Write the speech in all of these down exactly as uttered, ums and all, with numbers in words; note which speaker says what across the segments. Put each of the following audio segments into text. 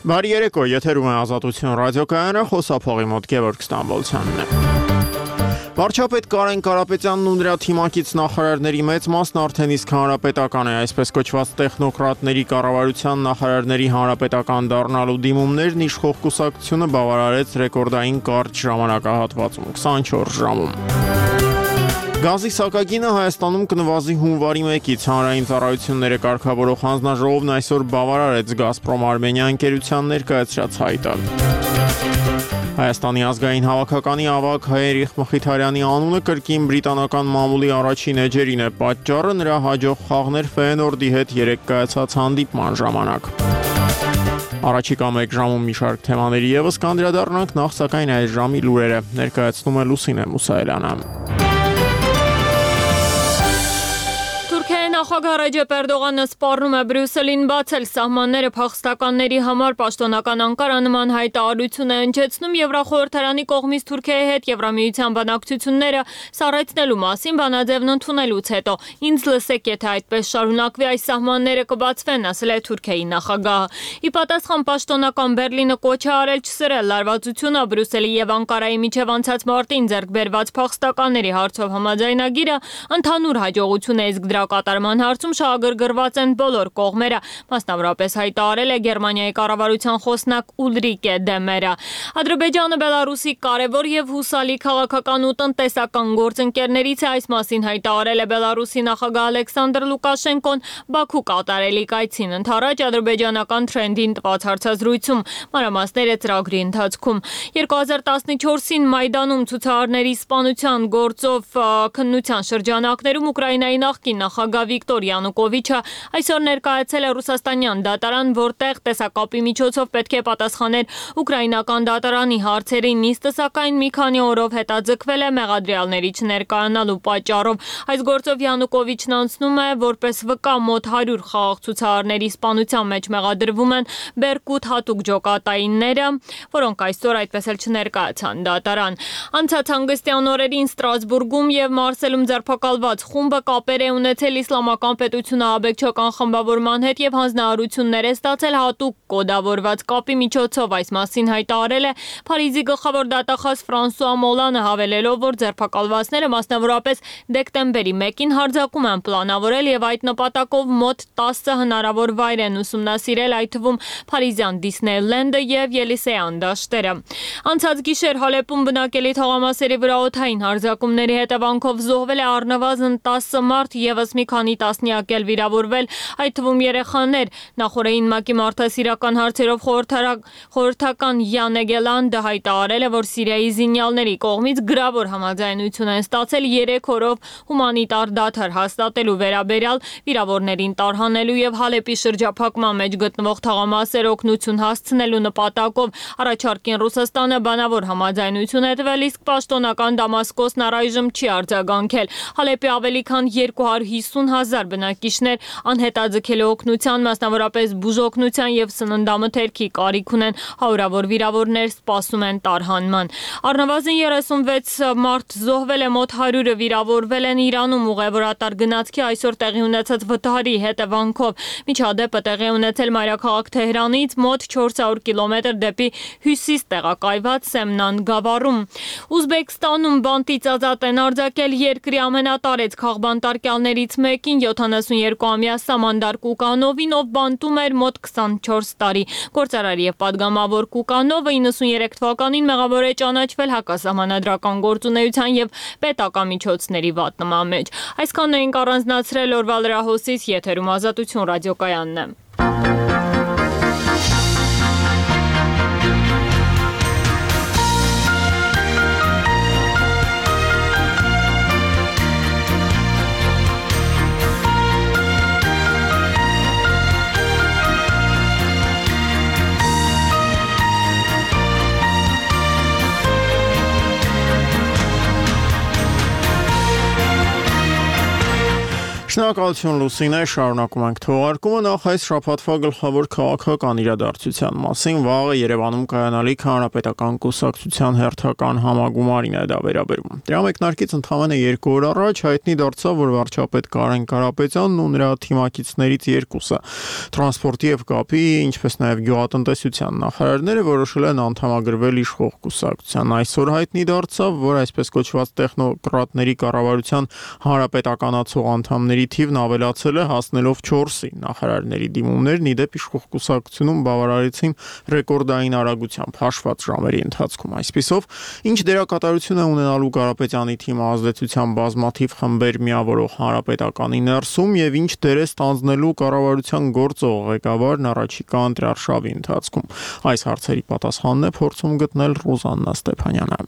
Speaker 1: Բարի երեկո, եթերում է Ազատություն ռադիոկայանը, խոսափողի մոտ Գևորգ Ստամբոլցյանն է։ Վարչապետ Կարեն Կարապետյանն ու նրա թիմակից նախարարների մեծ մասն արդեն իսկ հանրապետական է, այսպես կոչված տեխնոկրատների կառավարության նախարարների հանրապետական դառնալու դիմումներն իշխող կուսակցությունը բավարարեց ռեկորդային կարճ ժամանակահատվածում՝ քսանչորս ժամում։ Գազի սակագինը Հայաստանում կնվազի հունվարի մեկից, հանրային ծառայությունները կարգավորող հանձնաժողովն այսօր բավարարեց Գազպրոմ Արմենիա ընկերության ներկայացրած հայտը։ Հայաստանի ազգային հավաքականի ավագ Երիխ Մխիթարյանի անունը կրկին բրիտանական մամուլի առաջին էջերին է, պատճառը նրա հաջող խաղն էր Ֆեյենորդի հետ երեկ կայացած հանդիպման ժամանակ։ Առաջիկա մեկ ժամում մի շարք թեմաների ևս կանդրադառնանք, նախ սակայն այս ժամի լուրերը ներկայացնում է Լուսինե Մուսայելյանը։
Speaker 2: Նախագահ Ռեջեփ Էրդողանը սպառնում է Բրյուսելին բացել սահմանները փախստականների համար պաշտոնական Անկարա նման հայտարարություն է հնչեցնում Եվրախորհրդարանի կողմից Թուրքիայի հետ Եվրամիության բանակցությունները սառեցնելու մասին բանաձևն ընդունելուց հետո։ Ինձ լսեք, եթե այդպես շարունակվի, այս սահմանները կբացվեն, ասել է Թուրքիայի նախագահը։ Ի պատասխան պաշտոնական Բերլինը կոչ է արել չսրել լարվածությունը Բրյուսելի եւ Անկարայի միջև անցած մարտին ձեռք բերված փախստականների հարցով համաձայնագիրը ընդհանուր հաջողություն է, իսկ դրա կատարման հարցում շահագրգռված են բոլոր կողմերը, մասնավորապես հայտարարել է Գերմանիայի կառավարության խոսնակ Ուլրիկե Դեմերը։ Ադրբեջանը Բելարուսի կարևոր եւ հուսալի քաղաքական ու տնտեսական գործընկերներից է, այս մասին հայտարարել է Բելարուսի նախագահ Ալեքսանդր Լուկաշենկոն Բաքու կատարելիք այցին ընդառաջ ադրբեջանական Թրենդին տված հարցազրույցում, մանրամասները ծրագրի ընթացքում։ երկու հազար տասնչորսին Մայդանում ցուցարարների սպանության գործով քննության շրջանակներում Ուկրաինայի նախկին նախագահ Վիկտոր Յանուկովիչը այսօր ներկայացել է ռուսաստանյան դատարան, որտեղ տեսակապի միջոցով պետք է պատասխաներ ուկրաինական դատարանի հարցերին, նիստը սակայն մի քանի օրով հետաձգվել է մեղադրյալների չներկայանալու պատճառով։ Այս գործով Յանուկովիչն անցնում է որպես վկա մոտ հարյուր խաղաղ ցուցարարների սպանության մեջ մեղադրվում են Բերկուտ հատուկ ջոկատայինները, որոնք այսօր այդպես էլ չներկայացան դատարան։ Անցած հանգստյան օրերին Ստրասբուրգում եւ Մարսելում ձերբակալված խումբը կապեր է ունեցել Իսլամական պետությունը աբեկչական խմբավորման հետ եւ հանձնարարություններ է ստացել հատուկ կոդավորված կապի միջոցով, այս մասին հայտարարել է Փարիզի գլխավոր դատախազ Ֆրանսուଆ Մոլանը, հավելելով, որ ձերբակալվածները մասնավորապես դեկտեմբերի մեկին հարձակում են պլանավորել եւ այդ նպատակով մոտ տասը հնարավոր վայր են ուսումնասիրել, այդ թվում Փարիզյան Դիսնեյլենդը եւ Ելիսեյան դաշտերը։ Անցած գիշեր Հալեպում բնակելի թաղամասերի վրա օդային հարձակումների հետևանքով զոհվել է առնվազն տասը մարդ, եւս մի քանի տասնյակ էլ վիրավորվել, այդ թվում երեխաներ։ Նախորդին ՄԱԿ-ի մարդասիրական հարցերով խորհրդական Յան Էգելանդը հայտարարել է, որ Սիրիայի զինյալների կողմից գրավոր համաձայնություն են ստացել երեք օրով հումանիտար դադար հաստատելու վերաբերյալ, վիրավորներին տարհանելու եւ Հալեպի շրջափակման մեջ գտնվող թաղամասեր օգնություն հասցնելու նպատակով առաջարկին Ռուսաստանը բանավոր համաձայնություն է տվել, իսկ պաշտոնական Դամասկոսն առայժմ չի արձագանքել։ Հալեպի ավելի քան երկու հարյուր հիսուն հազար բնակիչներ անհետաձգելի օգնության, մասնավորապես բուժօգնության եւ սննդամթերքի կարիք ունեն, հարյուրավոր վիրավորներ սպասում են տարհանման։ Առնվազն երեսունվեց մարդ զոհվել է, մոտ հարյուրը վիրավորվել են Իրանում ուղևորատար գնացքի այսօր տեղի ունեցած վթարի հետևանքով։ Միջադեպը տեղի ունեցել մայրաքաղաք Թեհրանից մոտ չորս հարյուր կիլոմետր դեպի հյուսիս տեղակայված Սեմնան գավառում։ Ուզբեկստանում բանտից ազատ են արձակել երկրի ամենատարեց քաղբանտարկյալներից մեկին, յոթանասունյոթամյա Սամանդար Կուկանովին, ով բանտում էր մոտ քսանչորս տարի։ Գործարար եւ պատգամավոր Կուկանովը իննսունյերեք թվականին մեղավոր է ճանաչվել հակասահմանադրական գործունեության եւ պետական միջոցների վատնման մեջ։ Այսքանն էինք առանձնացրել օրվա լրահոսից, եթերում Ազատություն ռադիոկայանն է։
Speaker 1: Շնորհակալություն Լուսինե, շարունակում ենք թողարկումը նախ այս շաբաթվա գլխավոր քաղաքական իրադարձության մասին վաղը Երևանում կայանալիք հանրապետական կուսակցության հերթական համագումարին է դա վերաբերում։ Դրա մեկնարկից ընդամենը երկու օր առաջ հայտնի դարձավ, որ վարչապետ Կարեն Կարապետյանն ու նրա թիմակիցներից երկուսը տրանսպորտի եւ կապի, ինչպես նաեւ գյուղատնտեսության նախարարները որոշել են անդամագրվել իշխող կուսակցության։ Այսօր հայտնի դարձավ, որ այսպես կոչված տեխնոկրատների կառավարության հանրապետականացող անդամների թիվն ավելացել է, հասնելով չորսի։ Նախարարների դիմումներն ի դեպ իշխող կուսակցությունում բավարարեցին ռեկորդային արագությամբ հաշված ժամերի ընթացքում։ Այսպիսով, ինչ դերակատարություն է ունենալու Կարապետյանի թիմը ազդեցության բազմաթիվ խմբեր միավորող հանրապետականի ներսում եւ ինչ դեր է ստանձնելու կառավարության գործող ղեկավարն առաջիկա ընտրարշավի ընթացքում։ Այս հարցերի պատասխանն է փորձում գտնել Ռուզաննա Ստեփանյանը։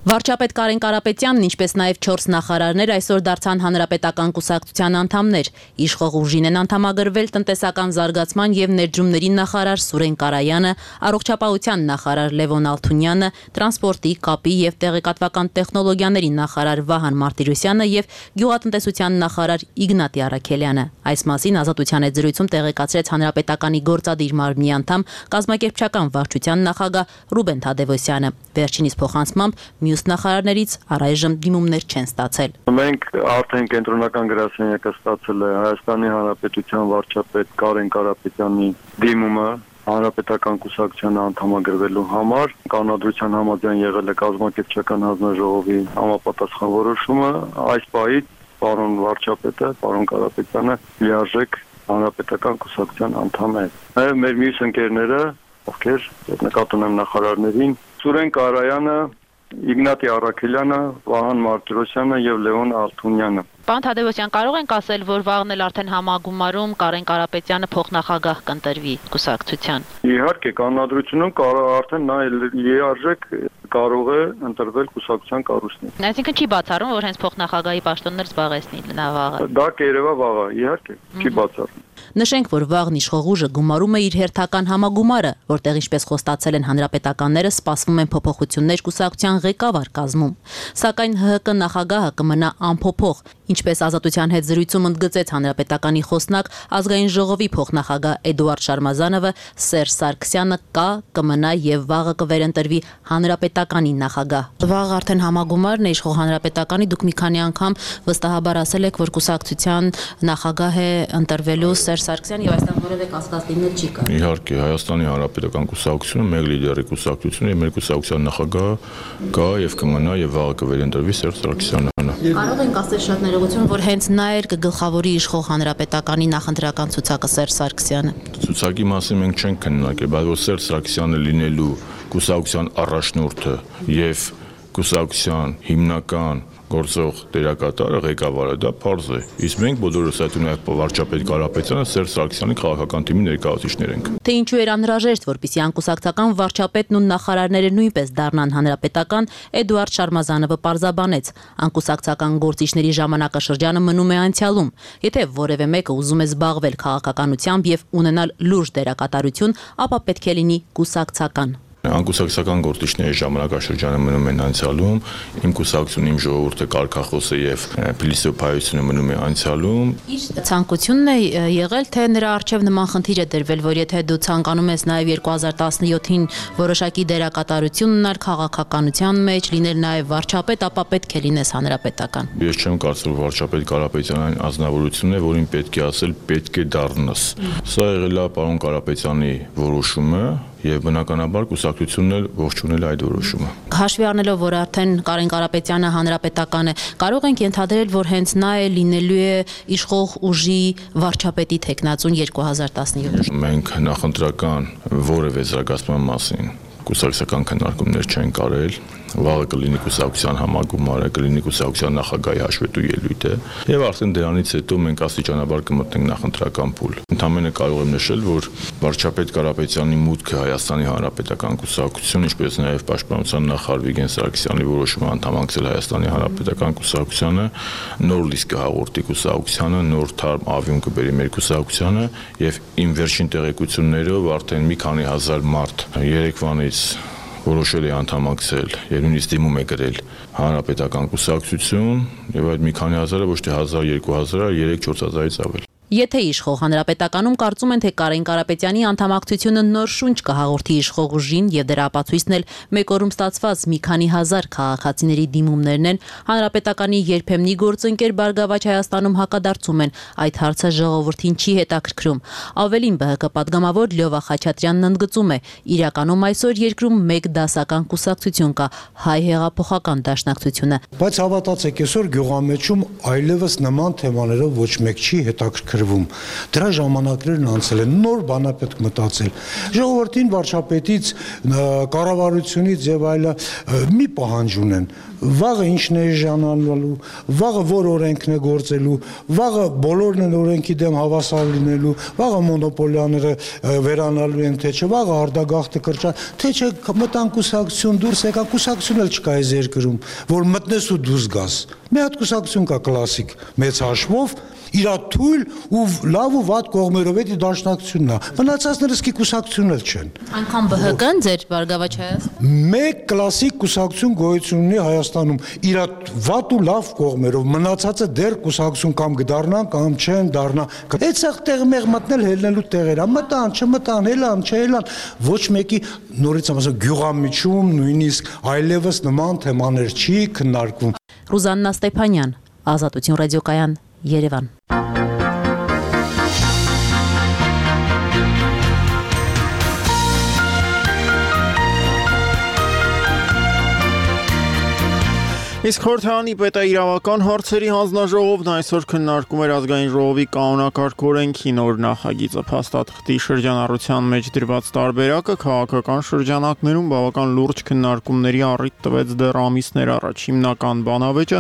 Speaker 3: Վարչապետ Կարեն Կարապետյանն, ինչպես նաև չորս նախարարներ այսօր դարձան հանրապետական կուսակցության անդամներ։ Իշխող ուժին են անդամագրվել տնտեսական զարգացման եւ ներդրումների նախարար Սուրեն Կարայանը, առողջապահության նախարար Լևոն Ալթունյանը, տրանսպորտի, կապի եւ տեղեկատվական տեխնոլոգիաների նախարար Վահան Մարտիրոսյանը եւ գյուղատնտեսության նախարար Իգնատի Արաքելյանը։ Այս մասին Ազատության հետ զրույցում տեղեկացրեց հանրապետականի գործադիր մարմնի անդամ կազմակերպչական վարչության նախագահ Ռուբեն Թադևոսյանը։ Վերջինիս փոխանցմամբ մյուս նախարարներից առայժմ դիմումներ չեն ստացել։
Speaker 4: Մենք արդեն կենտրոնական գրասենյակը ստացել է Հայաստանի Հանրապետության վարչապետ Կարեն Կարապետյանի դիմումը հանրապետական կուսակցության անդամագրվելու համար։ Կանոնադրության համաձայն եղել է կազմակերպչական հանձնաժողովի համապատասխան որոշումը։ Այս պահից պարոն վարչապետը, պարոն Կարապետյանը լիարժեք հանրապետական կուսակցության անդամ է։ Նաև մեր մյուս ընկերները, ովքեր նկատի ունեմ նախարարներին, Սուրեն Կարայանը, Իգնատի Արաքելյանը, Վահան Մարտիրոսյանը եւ Լևոն Ալթունյանը։
Speaker 3: Պարոն Թադևոսյան, կարող ենք ասել, որ վաղն էլ արդեն համագումարում Կարեն Կարապետյանը փոխնախագահ կընտրվի կուսակցության։
Speaker 4: Իհարկե, կանոնադրությունում արդեն նա լիարժեք կարող է ընտրվել կուսակցության կառույցին։
Speaker 3: Այսինքն չի բացառում, որ հենց փոխնախագահի պաշտոններ զբաղեցնի նա վաղը։
Speaker 4: Դա կերևա վաղը, իհարկե, չի բացառում։
Speaker 3: Նշենք, որ վաղն իշխող ուժը գումարում է իր հերթական համագումարը, որտեղ ինչպես խոստացել են հանրապետականները, սպասվում են փոփոխություններ կուսակցության ղեկավար կազմում։ Սակայն ՀՀԿ նախագահը կմնա անփոփոխ, ինչպես Ազատության հետ զրույցում ընդգծեց հանրապետականի խոսնակ ազգային ժողովի փոխնախագահ Էդուարդ Շարմազանովը, Սերժ Սարգսյանը կա, կմնա եւ վաղը կվերընտրվի հանրապետականի նախագահ։ Վաղ արդեն համագումարն է իշխող հանրապետականի, դուք մի քանի անգամ վստահաբար ասել եք, որ կուսակցության նախագահ է ընտրվելու Սերժ Սարգսյանը եւ այստեղ որևէ կասկած լինել չի կարող։
Speaker 5: Իհարկե, Հայաստանի Հանրապետական կուսակցությունը մեկ լիդերի կուսակցություն է, մեր կուսակցության նախագահը կա եւ կմնա եւ վաղը կվերընտրվի Սերժ Սարգսյանը։
Speaker 3: Կարող ենք ասել շատ ներողություն, որ հենց նա էր կգլխավորի իշխող հանրապետականի նախընտրական ցուցակը Սերժ Սարգսյանը։
Speaker 5: Ցուցակի մասին մենք չենք քննարկել, բայց որ Սերժ Սարգսյանը լինելու կուսակցության առաջնորդը եւ կուսակցության հիմնական գործող դերակատարը, ղեկավարը, դա պարզ է։ Իսկ մենք բոլորս այդ ունենք վարչապետ Կարապետյանը, Սերժ Սարգսյանի քաղաքական թիմի ներկայացուցիչներ ենք։
Speaker 3: Թե ինչու էր անհրաժեշտ, որպեսզի անկուսակցական վարչապետն ու նախարարները նույնպես դառնան հանրապետական, Էդուարդ Շարմազանովը պարզաբանեց։ Անկուսակցական գործիչների ժամանակաշրջանը մնում է անցյալում։ Եթե որևէ մեկը ուզում է զբաղվել քաղաքականությամբ եւ ունենալ լուրջ դերակատարություն, ապա պետք է լինի կուսակցական։
Speaker 5: Անկուսակցական գործիչների ժամանակաշրջանը մնում են անցյալում, իմ կուսակցությունը, իմ ժողովուրդը, կարգախոսը եւ փիլիսոփայությունը մնում է անցյալում։
Speaker 3: Իսկ ցանկությունն է եղել, թե նրա արժեվ նման խնդիր է դրվել, որ եթե դու ցանկանում ես նաեւ երկու հազար տասնյոթին որոշակի դերակատարություն ունենալ քաղաքականության մեջ, լինել նաեւ վարչապետ, ապա պետք է լինես հանրապետական։
Speaker 5: Ես չեմ կարծում, որ վարչապետ Կարապետյանն այն ազնվորությունն է, որին պետք է ասել պետք է դառնաս։ Սա եղել է պարոն Կարապետյանի որոշումը եւ բնականաբար կուսակցությունն էլ ողջունել այդ որոշումը։
Speaker 3: Հաշվի առնելով, որ արդեն Կարեն Կարապետյանը հանրապետական է, կարող ենք ենթադրել, որ հենց նա է լինելու է իշխող ուժի վարչապետի թեկնածուն երկու հազար տասնյոթ։
Speaker 5: Մենք նախընտրական որևէ զարգացման մասին կուսակցական քննարկումներ չեն կարել, վաղը կլինի կուսակցության համագումարը, կլինի կուսակցության նախագահի հաշվետու ելույթը եւ արդեն դրանից հետո մենք աստիճանաբար կմտնենք նախընտրական փուլ։ Ընդհանրապես կարող եմ նշել, որ վարչապետ Կարապետյանի մուտքը Հայաստանի Հանրապետական կուսակցություն, ինչպես նաեւ պաշտպանության նախարար Վիգեն Սարգսյանի որոշումը անդամակցել Հայաստանի Հանրապետական կուսակցությանը, նոր լիст կհաղորդի կուսակցությանը, նոր թարմ ավյուն կբերի մեր կուսակցությանը եւ իմ վերջին տեղեկություններով արդեն մի քանի հազար մարդ երեկվանից որոշել է անդամակցել եւ նույնիսկ դիմում է գրել հանրապետական կուսակցություն եւ այդ մի քանի հազարը ոչ թե հազար, երկու հազար, երեք չորս հազարից ավել։
Speaker 3: Եթե իշխող հանրապետականում կարծում են, թե Կարեն Կարապետյանի անդամակցությունը նոր շունչ կհաղորդի իշխող ուժին եւ դրա ապացույցն էլ մեկ օրում ստացված մի քանի հազար քաղաքացիների դիմումներն են, հանրապետականի երբեմնի գործընկեր Բարգավաճ Հայաստանում հակադարձում են, այդ հարցը ժողովրդին չի հետաքրքրում։ Ավելին ԲՀԿ պատգամավոր Լյովա Խաչատրյանն ընդգծում է, իրականում այսօր երկրում մեկ դասական կուսակցություն կա՝ Հայ հեղափոխական դաշնակցությունը։
Speaker 6: Բայց հավատացեք, այսօր գյուղամեջում այլևս նման թեմաներով ոչ մեկ չի հետաքրքրվում։ Դրա ժամանակներն անցել են, նոր բան է պետք մտածել։ Ժողովրդին վարչապետից, կառավարությունից եւ այլը մի պահանջ ունեն։ Վաղը ինչն է ժանալու, վաղը որ օրենքն է գործելու, վաղը բոլորն են օրենքի դեմ հավասար լինելու, վաղը մոնոպոլիաները վերանալու են, թե չէ, վաղը արդագաղթը կրճա, թե չէ մտան կուսակցություն դուրս եկա, կուսակցություն էլ չկա այս երկրում, որ մտնես ու դուրս գաս։ Մի հատ կուսակցություն կա կլասիկ, մեծ հաշվով, իր թույլ ու լավ ու վատ կողմերով էդի դաշնակցությունն է։ Մնացածները սկի կուսակցություն էլ չեն։
Speaker 3: Անկամ ԲՀԿ-ն ձեր Բարգավաճ Հայաստան։
Speaker 6: Մեկ կլասիկ կուսակցություն գոյություն ունի Հայաստանում, իր վատ ու լավ կողմերով, մնացածը դեռ կուսակցություն կամ կդառնան կամ չեն դառնա։ Այդսեղ տեղ մեղ մտնել հելնելու տեղեր, մտան, չմտան, հելան, չհելան, ոչ մեկի նորից ասեմ գյուղամիջում նույնիսկ այլևս նման թեմաներ չի քննարկվում։
Speaker 3: Ռուզաննա Ստեփանյան, Ազատություն ռադիոկայան, Երևան։
Speaker 1: Իսկ Խորհրդարանի պետաիրավական հարցերի հանձնաժողովն այսօր քննարկում էր ազգային ժողովի կանոնակարգ օրենքի նոր նախագիծը։ Փաստաթղթի շրջանառության մեջ դրված տարբերակը քաղաքական շրջանակներում բավական լուրջ քննարկումների առիթ տվեց դեռ ամիսներ առաջ։ Հիմնական բանավեճը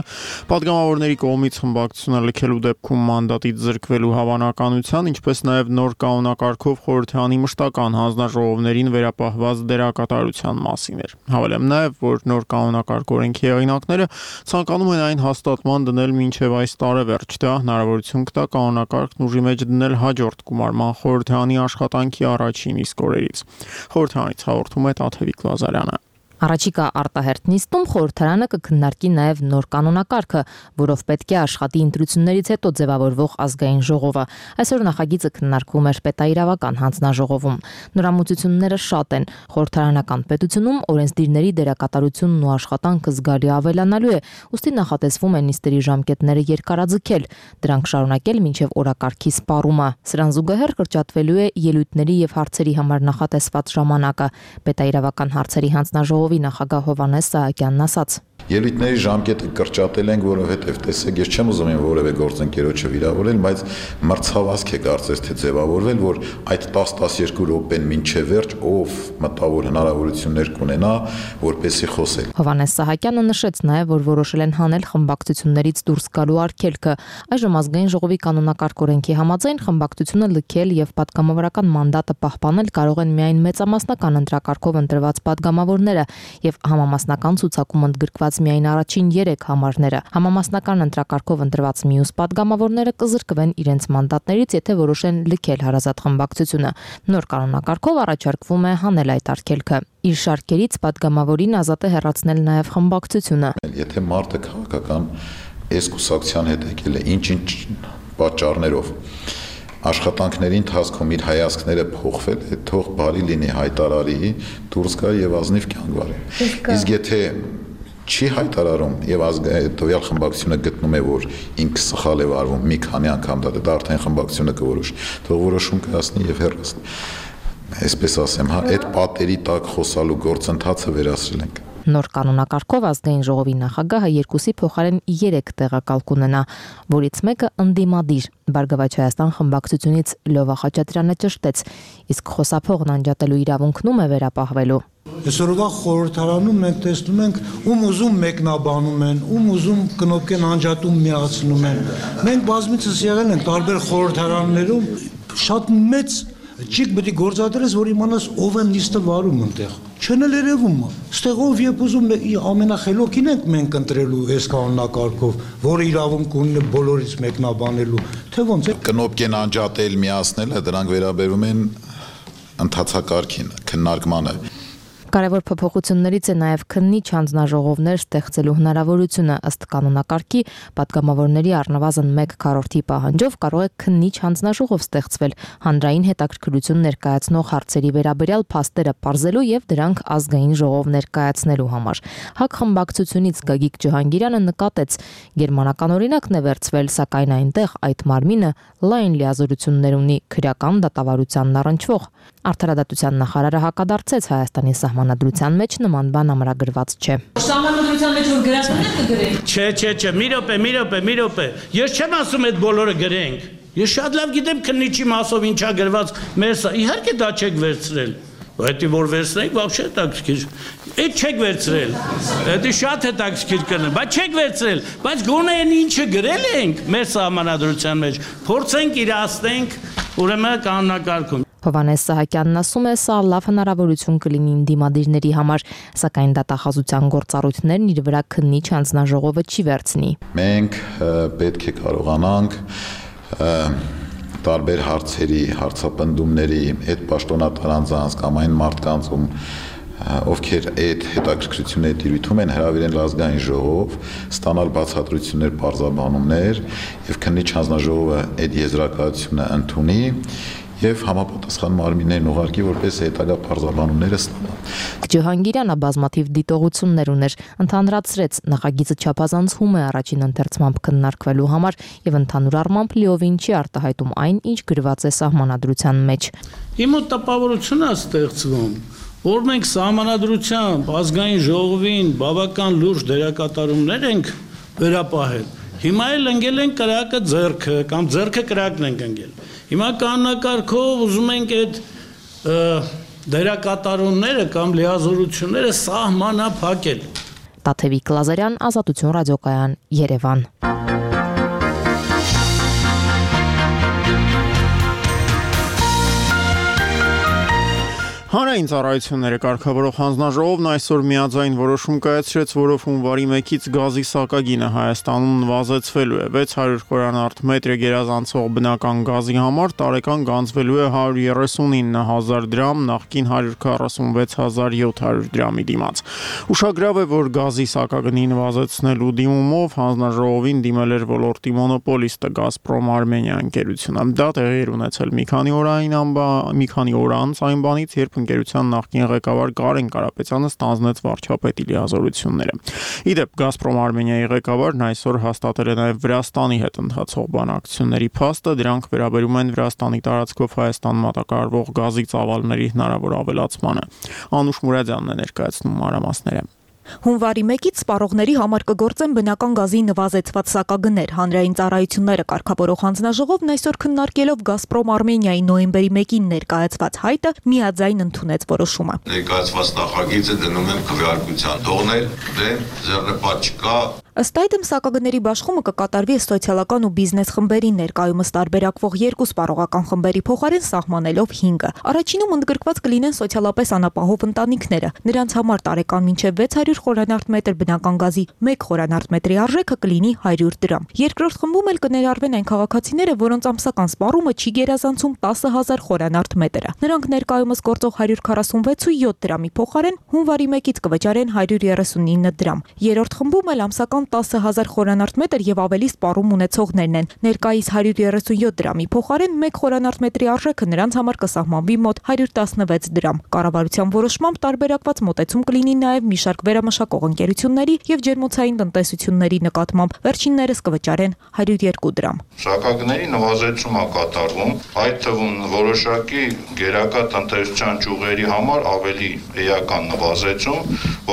Speaker 1: պատգամավորների կողմից խմբակցությունը լքելու դեպքում մանդատից զրկվելու հավանականության, ինչպես նաև նոր կանոնակարգով Խորհրդարանի մշտական հանձնաժողովներին վերապահված դերակատարության մասին էր։ Հավելեմ նաև, որ նոր կանոնակարգ օրենքի հեղինակները ցանկանում են այն հաստատման դնել մինչև այս տարեվերջ, դա հնարավորություն կտա կանոնակարգն ուժի մեջ դնել հաջորդ գումարման խորհրդարանի աշխատանքի առաջին իսկ օրերից։ Խորհրդարանից հաղորդում է Տաթևիկ Լազարյանը։
Speaker 7: Առաջիկա արտահերթ նիստում խորհրդարանը կքննարկի նաև նոր կանոնակարգը, որով պետք է աշխատի ընտրություններից հետո ձևավորվող ազգային ժողովը։ Այսօր նախագիծը քննարկվում էր պետաիրավական հանձնաժողովում։ Նորամուծությունները շատ են։ Խորհրդարանական պետությունում օրենսդիրների դերակատարությունն ու աշխատանքը զգալի ավելանալու է, ուստի նախատեսվում է նիստերի ժամկետները երկարաձգել, դրանք շարունակել մինչև օրակարգի սպառումը։ Սրան զուգահեռ կրճատվելու է ելույթների եւ հարցերի համար նախատեսված ժամանակը։ Պետաիրավական հարցերի հանձնաժողովի նախագահ Հովհաննես Սահակյանն ասաց.
Speaker 8: Ելույթների ժամկետը կրճատել ենք, որովհետև տեսեք, ես չեմ ուզում որևէ գործընկերոջը վիրավորել, բայց մրցավազք է կարծես թե ձևավորվել, որ այդ տասը-տասներկու րոպեն մինչև վերջ ով մտավոր հնարավորություններ կունենա, որպեսզի խոսել։
Speaker 7: Հովհաննես Սահակյանը նշեց նաև, որ որոշել են հանել խմբակցություններից դուրս գալու արգելքը։ Այժմ ազգային ժողովի կանոնակարգ օրենքի համաձայն խմբակցությունը լքել եւ պատգամավորական մանդատը պահպանել կարող են միայն մեծամասնական ընտրակարգով ընտրված պատգամավորները եւ համամասնական ցուցակում ընդգրկված միայն առաջին երեք համարները։ Համամասնական ընտրակարգով ընտրված մյուս պատգամավորները կզրկվեն իրենց մանդատներից, եթե որոշեն լքել հարազատ խմբակցությունը։ Նոր կանոնակարգով առաջարկվում է հանել այդ արգելքը։ Իր շարքերից պատգամավորին ազատ է հեռացնել նաև խմբակցությունը։
Speaker 8: Եթե մարդը քաղաքական այս կուսակցության հետ եկել է ինչ-ինչ պատճառներով, աշխատանքների ընթացքում իր հայացքները փոխվել է, թող բարի լինի, հայտարարի, դուրս գա եւ ազնիվ կյանք վարի։ Իսկ եթե չի հայտարարում եւ տվյալ խմբակցությունը գտնում է, որ ինքը սխալ է վարվում մի քանի անգամ, դա արդեն խմբակցությունը կորոշի, թող որոշում կայացնի եւ հեռացնի։ Այսպես ասեմ, հա, այդ պատերի տակ խոսալու գործընթացը վերացրել ենք։
Speaker 7: Նոր կանոնակարգով ազգային ժողովի նախագահը երկուսի փոխարեն երեք տեղակալ կունենա, որից մեկը ընդդիմադիր։ Բարգավաճ Հայաստան խմբակցությունից Լյովա Խաչատրյանը ճշտեց, իսկ խոսափողն անջատելու իրավունքն ում է վերապահվելու։
Speaker 6: Այսօրվա խորհրդարանում մենք տեսնում ենք, ում ուզում մեկնաբանում են, ում ուզում կնոպկեն անջատում միացնում են։ Մենք բազմիցս եղել ենք տարբեր խորհրդարաններում, շատ մեծ ճիգ պետք է գործադրես, որ իմանաս ով է նիստը վարում այնտեղ։ Չեն էլ երևում։ Ստեղ ով երբ ուզում ամենախելոքին ենք մենք ընտրելու այս կանոնակարգով, որը իրավունք ունի բոլորից մեկնաբանելու, թե ոնց է։
Speaker 8: Կնոպկեն անջատել, միացնելը դրանք վերաբերում են ընթացակարգին, քննարկմանը։
Speaker 7: Կարևոր փոփոխություններից է նաև քննիչ հանձնաժողովներ ստեղծելու հնարավորությունը ըստ կանոնակարգի պատգամավորների առնվազն մեկ քառորդի պահանջով կարող է քննիչ հանձնաժողով ստեղծվել հանրային հետաքրքրություն ներկայացնող հարցերի վերաբերյալ փաստերը պարզելու եւ դրանք ազգային ժողով ներկայացնելու համար։ ՀԱԿ խմբակցությունից Գագիկ Ջհանգիրյանը նկատեց, գերմանական օրինակն է վերցվել, սակայն այնտեղ այդ մարմինը լայն լիազորություններ ունի քրեական դատավարությանն առնչվող։ Արդարադատության նախարարը հակադարձեց Հայաստանի սահմանադրության մեջ նման բան ամրագրված չէ։
Speaker 9: Սահմանադրության մեջ որ գրածն է կգրենք։
Speaker 10: Չէ, չէ, չէ, մի րոպե, մի րոպե, մի րոպե։ Ես չեմ ասում այդ բոլորը գրենք։ Ես շատ լավ գիտեմ քննիչի մասով ինչա գրված մեր սա։ Իհարկե դա չեք վերցրել։ Դա որ վերցնենք, вообще հետաքրքիր։ Այդ չեք վերցրել։ Դա շատ հետաքրքիր կլինի, բայց չեք վերցրել։ Բայց գոնե այն ինչը գրել ենք մեր սահմանադրության մեջ, փորձենք իրացնենք ուրեմն կանոնակարգում։
Speaker 7: Հովհաննես Սահակյանն ասում է, սա լավ հնարավորություն կլինի դիմադիրների համար, սակայն դատախազության գործառույթներն իր վրա քննիչ հանձնաժողովը չի վերցնի։
Speaker 8: Մենք պետք է կարողանանք տարբեր հարցերի, հարցապնդումների այդ պաշտոնատար անձանց կամ այն մարդկանց, ում ովքեր այդ հետաքրքրությունների տիրույթում են, հրավիրեն ազգային ժողով, ստանալ բացատրություններ, պարզաբանումներ եւ քննիչ հանձնաժողովը այդ եզրակացությունը ընդունի եւ համապատասխան մարմիններն ուղարկի, որպես հետագա պարզաբանումները ստանան։
Speaker 7: Ջհանգիրյանը բազմաթիվ դիտողություններ ուներ, ընդհանրացրեց նախագիծը չափազանցում է առաջին ընթերցմամբ քննարկվելու համար եւ ընդհանուր առմամբ լիովին չի արտահայտում այն, ինչ գրված է սահմանադրության մեջ։
Speaker 10: Իմ մոտ տպավորություն է ստեղծվում, որ մենք սահմանադրությամբ ազգային ժողովին բավական լուրջ դերակատարումներ ենք վերապահել։ Հիմա էլ ընկել են կրակը ձեռքը կամ ձեռքը կրակն ենք ընկել։ Հիմա կանոնակարգով ուզում ենք այդ դերակատարումները կամ լիազորությունները սահմանափակել։
Speaker 7: Տաթևիկ Լազարյան, Ազատություն ռադիոկայան, Երևան։
Speaker 1: Հանրային ծառայությունները կարգավորող հանձնաժողովն այսօր միաձայն որոշում կայացրեց, որով հունվարի մեկից գազի սակագինը Հայաստանում նվազեցվելու է։ վեց հարյուր խորանարդ մետր գերազանցող բնական գազի համար տարեկան գանձվելու է հարյուր երեսունինը հազար դրամ, նախկին հարյուր քառասունվեց հազար յոթ հարյուր դրամի դիմաց։ Ուշագրավ է, որ գազի սակագնի նվազեցնելու դիմումով հանձնաժողովին դիմել էր ոլորտի մոնոպոլիստը Գազպրոմ Արմենիա ընկերությունը։ Դա տեղի էր ունեցել մի քանի օր այն մի քանի օր անց այն բանից, երբ ընկերության նախկին ղեկավար Կարեն Կարապետյանը ստանձնեց վարչապետի լիազորությունները։ Իդեպ Գազպրոմ Արմենիայի ղեկավարն այսօր հաստատել է նաև Վրաստանի հետ ընթացող բանակցությունների փաստը, դրանք վերաբերում են Վրաստանի տարածքով Հայաստան մատակարարվող գազի ծավալների հնարավոր ավելացմանը։ Անուշ Մուրադյանն է ներկայացնում մանրամասները։
Speaker 11: Հունվարի մեկից սպառողների համար կգործեն բնական գազի նվազեցված սակագներ։ Հանրային ծառայությունները կարգավորող հանձնաժողովն այսօր քննարկելով Գազպրոմ Արմենիայի նոյեմբերի մեկին ներկայացված հայտը միաձայն ընդունեց որոշումը։
Speaker 12: Ներկայացված նախագիծը դնում եմ քվեարկության, թողնել դեն ձեռնպատ չկա։
Speaker 11: Ըստ այդմ սակագների բաշխումը կկատարվի սոցիալական ու բիզնես խմբերի ներկայումս տարբերակվող երկու սպառողական խմբերի փոխարեն սահմանելով հինգը։ Առաջինում ընդգրկված կլինեն սոցիալապես անապահով ընտանիքները։ Նրանց համար տարեկան մինչև վեց հարյուր խորանարդ մետր բնական գազի մեկ խորանարդ մետրի արժեքը կլինի հարյուր դրամ։ Երկրորդ խմբում էլ կներառվեն այն քաղաքացիները, որոնց ամսական սպառումը չի գերազանցում տասը հազար խորանարդ մետրը։ Նրանք ներկայումս գործող հարյուր քառասունվեց ու յոթ դրամի փոխարեն հունվարի մեկից կվճարեն հարյուր երեսունինը դրամ։ Երրորդ խմբում էլ ամսական տասը հազար խորանարդ մետր եւ ավելի սպառում ունեցողներն են։ Ներկայիս հարյուր երեսունյոթ դրամի փոխարեն մեկ խորանարդ մետրի արժեքը նրանց համար կսահմանվի մոտ հարյուր տասնվեց դրամ։ Կառավարության որոշմամբ տարբերակված մոտեցում կլինի նաեւ մի շարք վերամշակող ընկերությունների եւ ջերմոցային տնտեսությունների նկատմամբ։ Վերջիններս կվճարեն հարյուր երկու դրամ։
Speaker 12: Սակագների նվազեցում է կատարվում, այդ թվում որոշակի գերակա տնտեսության ճյուղերի համար ավելի էական նվազեցում,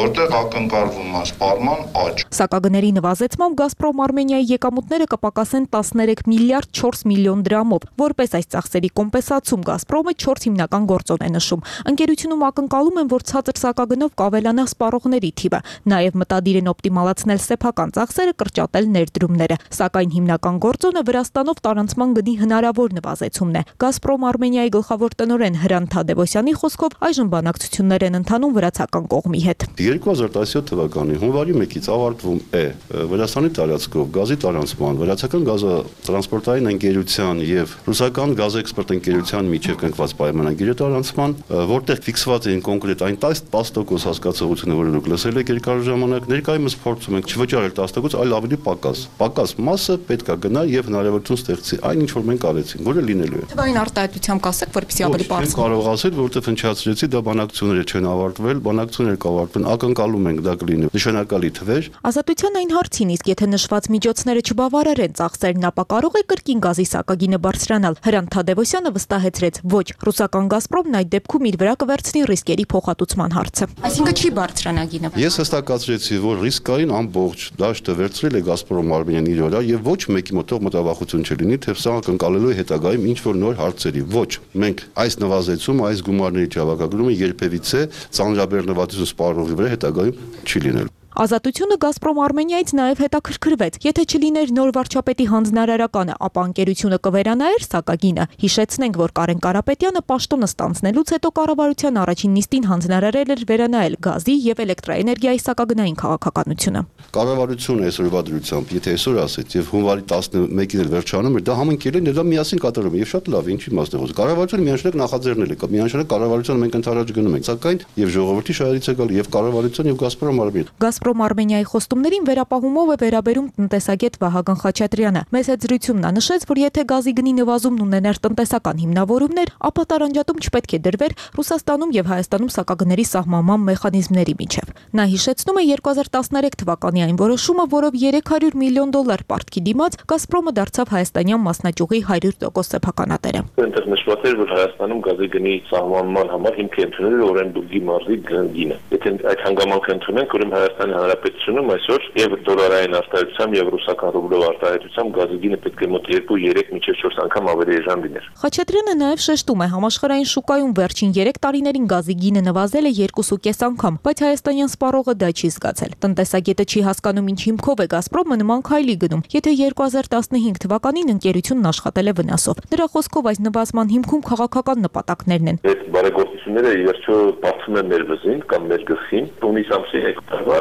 Speaker 12: որտեղ ակնկալվում է սպառման աճ։
Speaker 11: Սակագների նվազեցմամբ Գազպրոմ Արմենիայի եկամուտները կպակասեն տասներեք միլիարդ չորս միլիոն դրամով։ Որպես այս ծախսերի կոմպենսացում Գազպրոմը չորս հիմնական գործոն է նշում։ Ընկերությունում ակնկալում են, որ ցածր սակագնով կավելանա սպառողների թիվը։ Նաև մտադիր են օպտիմալացնել սեփական ծախսերը, կրճատել ներդրումները։ Սակայն հիմնական գործոնը Վրաստանով տարանցման գնի հնարավոր նվազեցումն է։ Գազպրոմ Արմենիայի գլխավոր տնօրեն Հրանտ Թադևոսյանի խոսքով այժմ բանակցություններ են ընթանում վրացական կողմի հետ։
Speaker 13: երկու հազար տասնյոթ թվականի հունվարի մեկից ավարտվում է Վրաստանի տարածքով գազի տարանցման, վրացական գազատրանսպորտային ընկերության եւ ռուսական գազէքսպորտ ընկերության միջև կնքված պայմանագիրը տարանցման, որտեղ ֆիքսված էին կոնկրետ այն տասը տոկոս հասկացողությունը, որը դուք լսել եք երկար ժամանակ, ներկայումս փորձում ենք չվճարել տասը տոկոս, այլ ավելի պակաս։ Պակաս մասը պետք է գնա եւ հնարավորություն ստեղծի այն ինչ որ մենք արեցինք, որը լինելու է։
Speaker 11: Թվային արտահայտությամբ կասեք, որպեսզի ավելի բարձր։
Speaker 13: Չեմ կարող ասել, որովհետեւ հնչացրեցի, դա բանակցությունները չեն ավարտվել, բանակցությունները կավարտվեն, ակնկալում ենք դա կլինի նշանակալի թվեր։
Speaker 11: Ազատության այն հարցին, իսկ եթե նշված միջոցները չբավարարեն ծախսերն, ապա կարող է կրկին գազի սակագինը բարձրանալ։ Հրանտ Թադևոսյանը վստահեցրեց, ոչ, ռուսական Գազպրոմն այդ դեպքում իր վրա կվերցնի ռիսկերի փոխհատուցման հարցը։ Այսինքն չի բարձրանա գինը։
Speaker 13: Ես հստակացրեցի, որ ռիսկային ամբողջ դաշտը վերցրել է Գազպրոմ Արմենիան իր վրա եւ ոչ մեկի մոտով մտավախություն չլինի, թե սա ակնկալելու է հետագայում ինչ որ նոր հարցերի։ Ոչ, մենք այս նվազեցումը, այս գումարների չավակագրումը երբևիցե ծանրաբեռնվածություն սպառողի վրա հետագայում չի լինելու։
Speaker 11: Ազատությունը Գազպրոմ Արմենիայից նաև հետաքրքրվեց։ Եթե չլիներ նոր վարչապետի հանձնարարականը, ապա ընկերությունը կվերանայեր սակագինը։ Հիշեցնենք, որ Կարեն Կարապետյանը պաշտոնը ստանձնելուց հետո կառավարության առաջին նիստին հանձնարարել էր վերանայել գազի եւ էլեկտրաէներգիայի սակագնային քաղաքականությունը։
Speaker 13: Կառավարությունը այսօրվա դրությամբ, եթե այսօր ասեց եւ հունվարի տասնմեկին էլ վերջանում էր, դա համընկել է, դա միասին կատարում է եւ շատ լավ, ինչի մասն է խոսքը։ Կառավարությունը միանշանակ նախաձեռնել է, միանշանակ կառավարությունը մենք ընդառաջ գնում ենք, սակայն եւ ժողովրդի շահերից է գալ եւ կառավարության եւ Գազպրոմ Արմենիան։
Speaker 11: Գազպրոմ Արմենիայի խոստումներին վերապահումով է վերաբերում տնտեսագետ Վահագն Խաչատրյանը։ Մեծ զրույցում նա նշեց, որ եթե գազի գնի նվազումն ուներ տնտեսական հիմնավորումներ, ապա տարանջատում չպետք է դրվեր Ռուսաստանում եւ Հայաստանում սակագների սահմանման մեխանիզմների միջև։ Նա հիշեցնում է երկու հազար տասներեք թվականի այն որոշումը, որով երեք հարյուր միլիոն դոլար պարտքի դիմաց Գազպրոմը դարձավ հայաստանյան մասնաճյուղի հարյուր տոկոս սեփականատերը։
Speaker 14: Այնտեղ նշված էր, որ Հայաստանում գազի գնի սահմանման համար հիմք է ընդունել Օրենբուրգի մարզի գինը։ Եթե այդ հանգամանքը ընդունենք, ուրեմն Հայաստանի Հանրապետությունում այսօր եւ դոլարային արտահայտությամբ եւ ռուսական ռուբլով արտահայտությամբ գազի գինը պետք է մոտ երկու երեք մինչեւ չորս անգամ ավելի էժան լիներ։
Speaker 11: Խաչատրյանը նաեւ շեշտում է, համաշխարհային շուկայում վերջին երեք տարիներին գազի գինը նվազել է երկու կես անգամ, բայց հայաստանյան սպառողը դա չի զգացել։ Տնտեսագետը չի հասկանում, ինչ հիմքով է Գազպրոմը նման քայլի գնում, եթե երկու հազար տասնհինգ թվականին ընկերությունն աշխատել է վնասով։ Նրա խոսքով այս նվազման հիմքում քաղաքական նպատակներն են։
Speaker 14: Այդ բարեգործությունները ի վերջո բացում են մեր վզին կամ մեր գլխին, հունիս ամսի հեկտարվա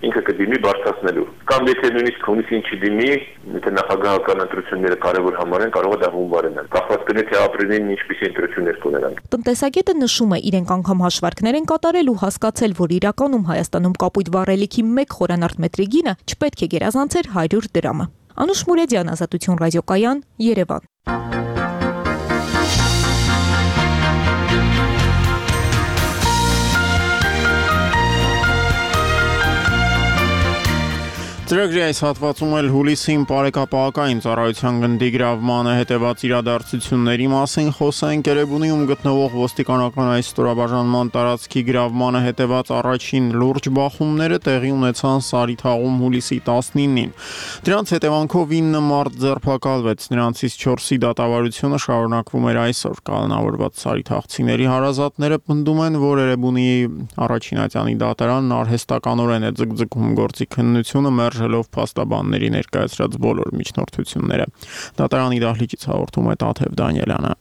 Speaker 14: ինքը կդիմի բարձրացնելու։ Կամ եթե նույնիսկ հունիսին չդիմի, եթե նախագահական ընտրությունները կարևոր համարեն, կարող է դա հունվարենալ։ Կախված կլինի թե ապրիլին ինչպիսի ընտրություններ կունենան։
Speaker 11: Տնտեսագետը նշում է, իրենք անգամ հաշվարկներ են կատարել ու հասկացել, որ իրականում Հայաստանում կապույտ վառելիքի մեկ խորանարդ մետրի գինը չպետք է գերազանցեր հարյուր դրամը։ Անուշ Մուրեդյան, Ազատություն ռադիոկայան, Երևան։
Speaker 1: Ծրագրի այս հատվածում էլ հուլիսին բարեկապահական ծառայության գնդի գրավմանը հետևած իրադարձությունների մասին խոսենք։ Էրեբունիում գտնվող ոստիկանական այս ստորաբաժանման տարածքի գրավմանը հետևած առաջին լուրջ բախումները տեղի ունեցան Սարիթաղում հուլիսի տասնինին։ Դրանց հետևանքով ինը մարդ ձերբակալվեց, նրանցից չորսի դատավարությունը շարունակվում էր այսօր։ Կանոնավորված սարիթաղցիների հարազատները պնդում են, որ Էրեբունիի առաջին ատյանի դատարանն արհեստականորեն է ձգձգում գործի քննությունը մերժելով փաստաբանների ներկայացրած բոլոր միջնորդությունները։ Դատարանի դահլիճից հաղորդում է Տաթև Դանիելյանը։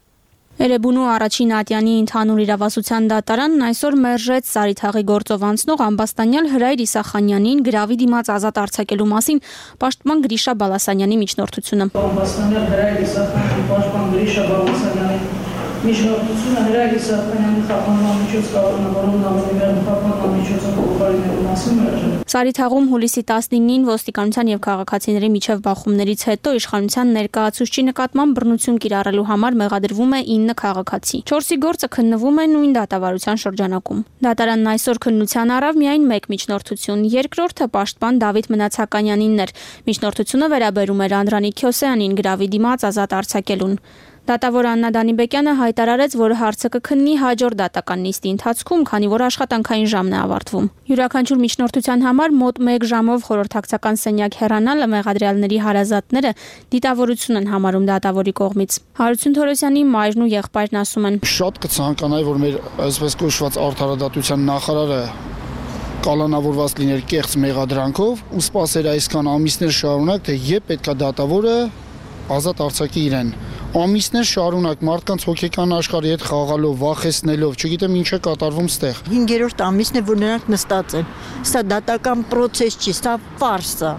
Speaker 15: Էրեբունու առաջին ատյանի ընդհանուր իրավասության դատարանն այսօր մերժեց Սարիթաղի գործով անցնող ամբաստանյալ Հրայր Իսախանյանին գրավի դիմաց ազատ արձակելու մասին պաշտպան Գրիշա Բալասանյանի միջնորդությունը։
Speaker 16: Ամբաստանյալ Հրայր Իսախանյանի պաշտպան Գրիշա Բալասանյանի միջնորդությունը Հրայր Իսախանյանի խափանման միջոց կանոնավորումն ամենևեռ խափանման միջոցը փոխարինելու մասին մերժել։
Speaker 15: Սարիթաղում հուլիսի տասնինին ոստիկանության եւ քաղաքացիների միջև բախումներից հետո իշխանության ներկայացուցչի նկատմամբ բռնություն կիրառելու համար մեղադրվում է ինը քաղաքացի։ չորսի գործը քննվում է նույն դատավարության շրջանակում։ Դատարանն այսօր քննության առավ միայն մեկ միջնորդություն, երկրորդը պաշտպան Դավիթ Մնացականյանինն էր։ Միջնորդությունը վերաբերում էր Անդրանիկ Քյոսեյանին գրավի դիմաց ազատ արձակելուն։ Դատավոր Աննա Դանիբեկյանը հայտարարեց, որ հարցը կքննի հաջորդ դատական նիստի ընթացքում, քանի որ աշխատանքային ժամն է ավարտվում։ Յուրաքանչյուր միջնորդության համար մոտ մեկ ժամով խորհրդակցական սենյակ հեռանալը մեղադրյալների հարազատները դիտավորություն են համարում դատավորի կողմից։ Հարություն Թորոսյանի մայրն ու եղբայրն ասում են.
Speaker 17: Շատ կցանկանայի, որ մեր այսպես կոչված արդարադատության նախարարը կալանավորված լիներ կեղծ մեղադրանքով ու սպասեր այսքան ամիսներ շարունակ, թե երբ պետքա դատավորը ազատ արձակի իրեն։ ամիսներ շարունակ մարդկանց հոգեկան աշխարհի հետ խաղալով, վախեցնելով, չգիտեմ ինչ է կատարվում ստեղ։
Speaker 18: հինգերորդ ամիսն է, որ նրանք նստած են։ Սա դատական process չի, սա ֆարս է։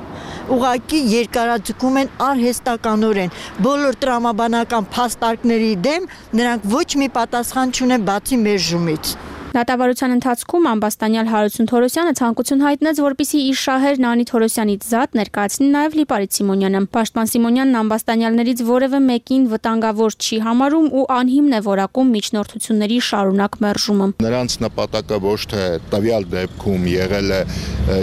Speaker 18: Ուղղակի երկարաձգում են արհեստականորեն բոլոր տրամաբանական փաստարկների դեմ, նրանք ոչ մի պատասխան չունեն բացի մերժումից։
Speaker 15: Դատավարության ընթացքում ամբաստանյալ Հարություն Թորոսյանը ցանկություն հայտնեց, որպեսզի իր շահեր Նանի Թորոսյանից զատ ներկայացնի նաև Լիպարիտ Սիմոնյանը։ Պաշտպան Սիմոնյանն ամբաստանյալներից որևէ մեկին վտանգավոր չի համարում ու անհիմն է որակում միջնորդությունների շարունակ մերժումը։
Speaker 19: Նրանց նպատակը ոչ թե տվյալ դեպքում եղել է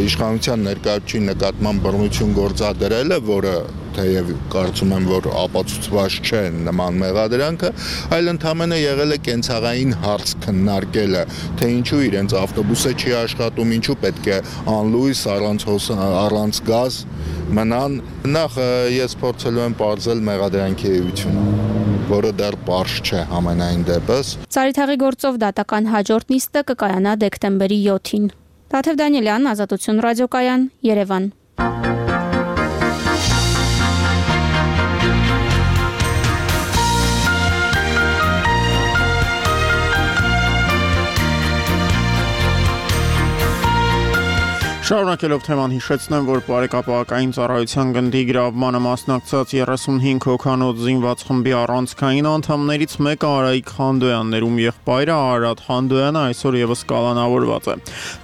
Speaker 19: իշխանության ներկայացուցիչ նկատմամբ բռնություն գործադրելը, որը թեև կարծում եմ, որ ապացուցված չէ նման մեղադրանքը, այլ ընդհանրապես եղել է կենցաղային հարց քննարկելը, թե ինչու իրենց ավտոբուսը չի աշխատում, ինչու պետք է անլույս առանց առանց գազ մնան։ Նախ ես փորձելու եմ պարզել մեղադրանքի էությունը, որը դեռ պարզ չէ համենայն դեպս։
Speaker 15: Ծարիթաղի գործով դատական հաջորդ նիստը կկայանա դեկտեմբերի յոթին։ Տաթև Դանիելյան, Ազատություն ռադիոկայան, Երևան։
Speaker 1: Շարունակելով թեման հիշեցնեմ, որ բարեկապահական ծառայության գնդի գրավմանը մասնակցած երեսունհինգ հոգանոց զինված խմբի առանցքային անդամներից մեկը Արայիկ Խանդոյանն էր, ում եղբայրը Արարատ Խանդոյանը այսօր եւս կալանավորված է։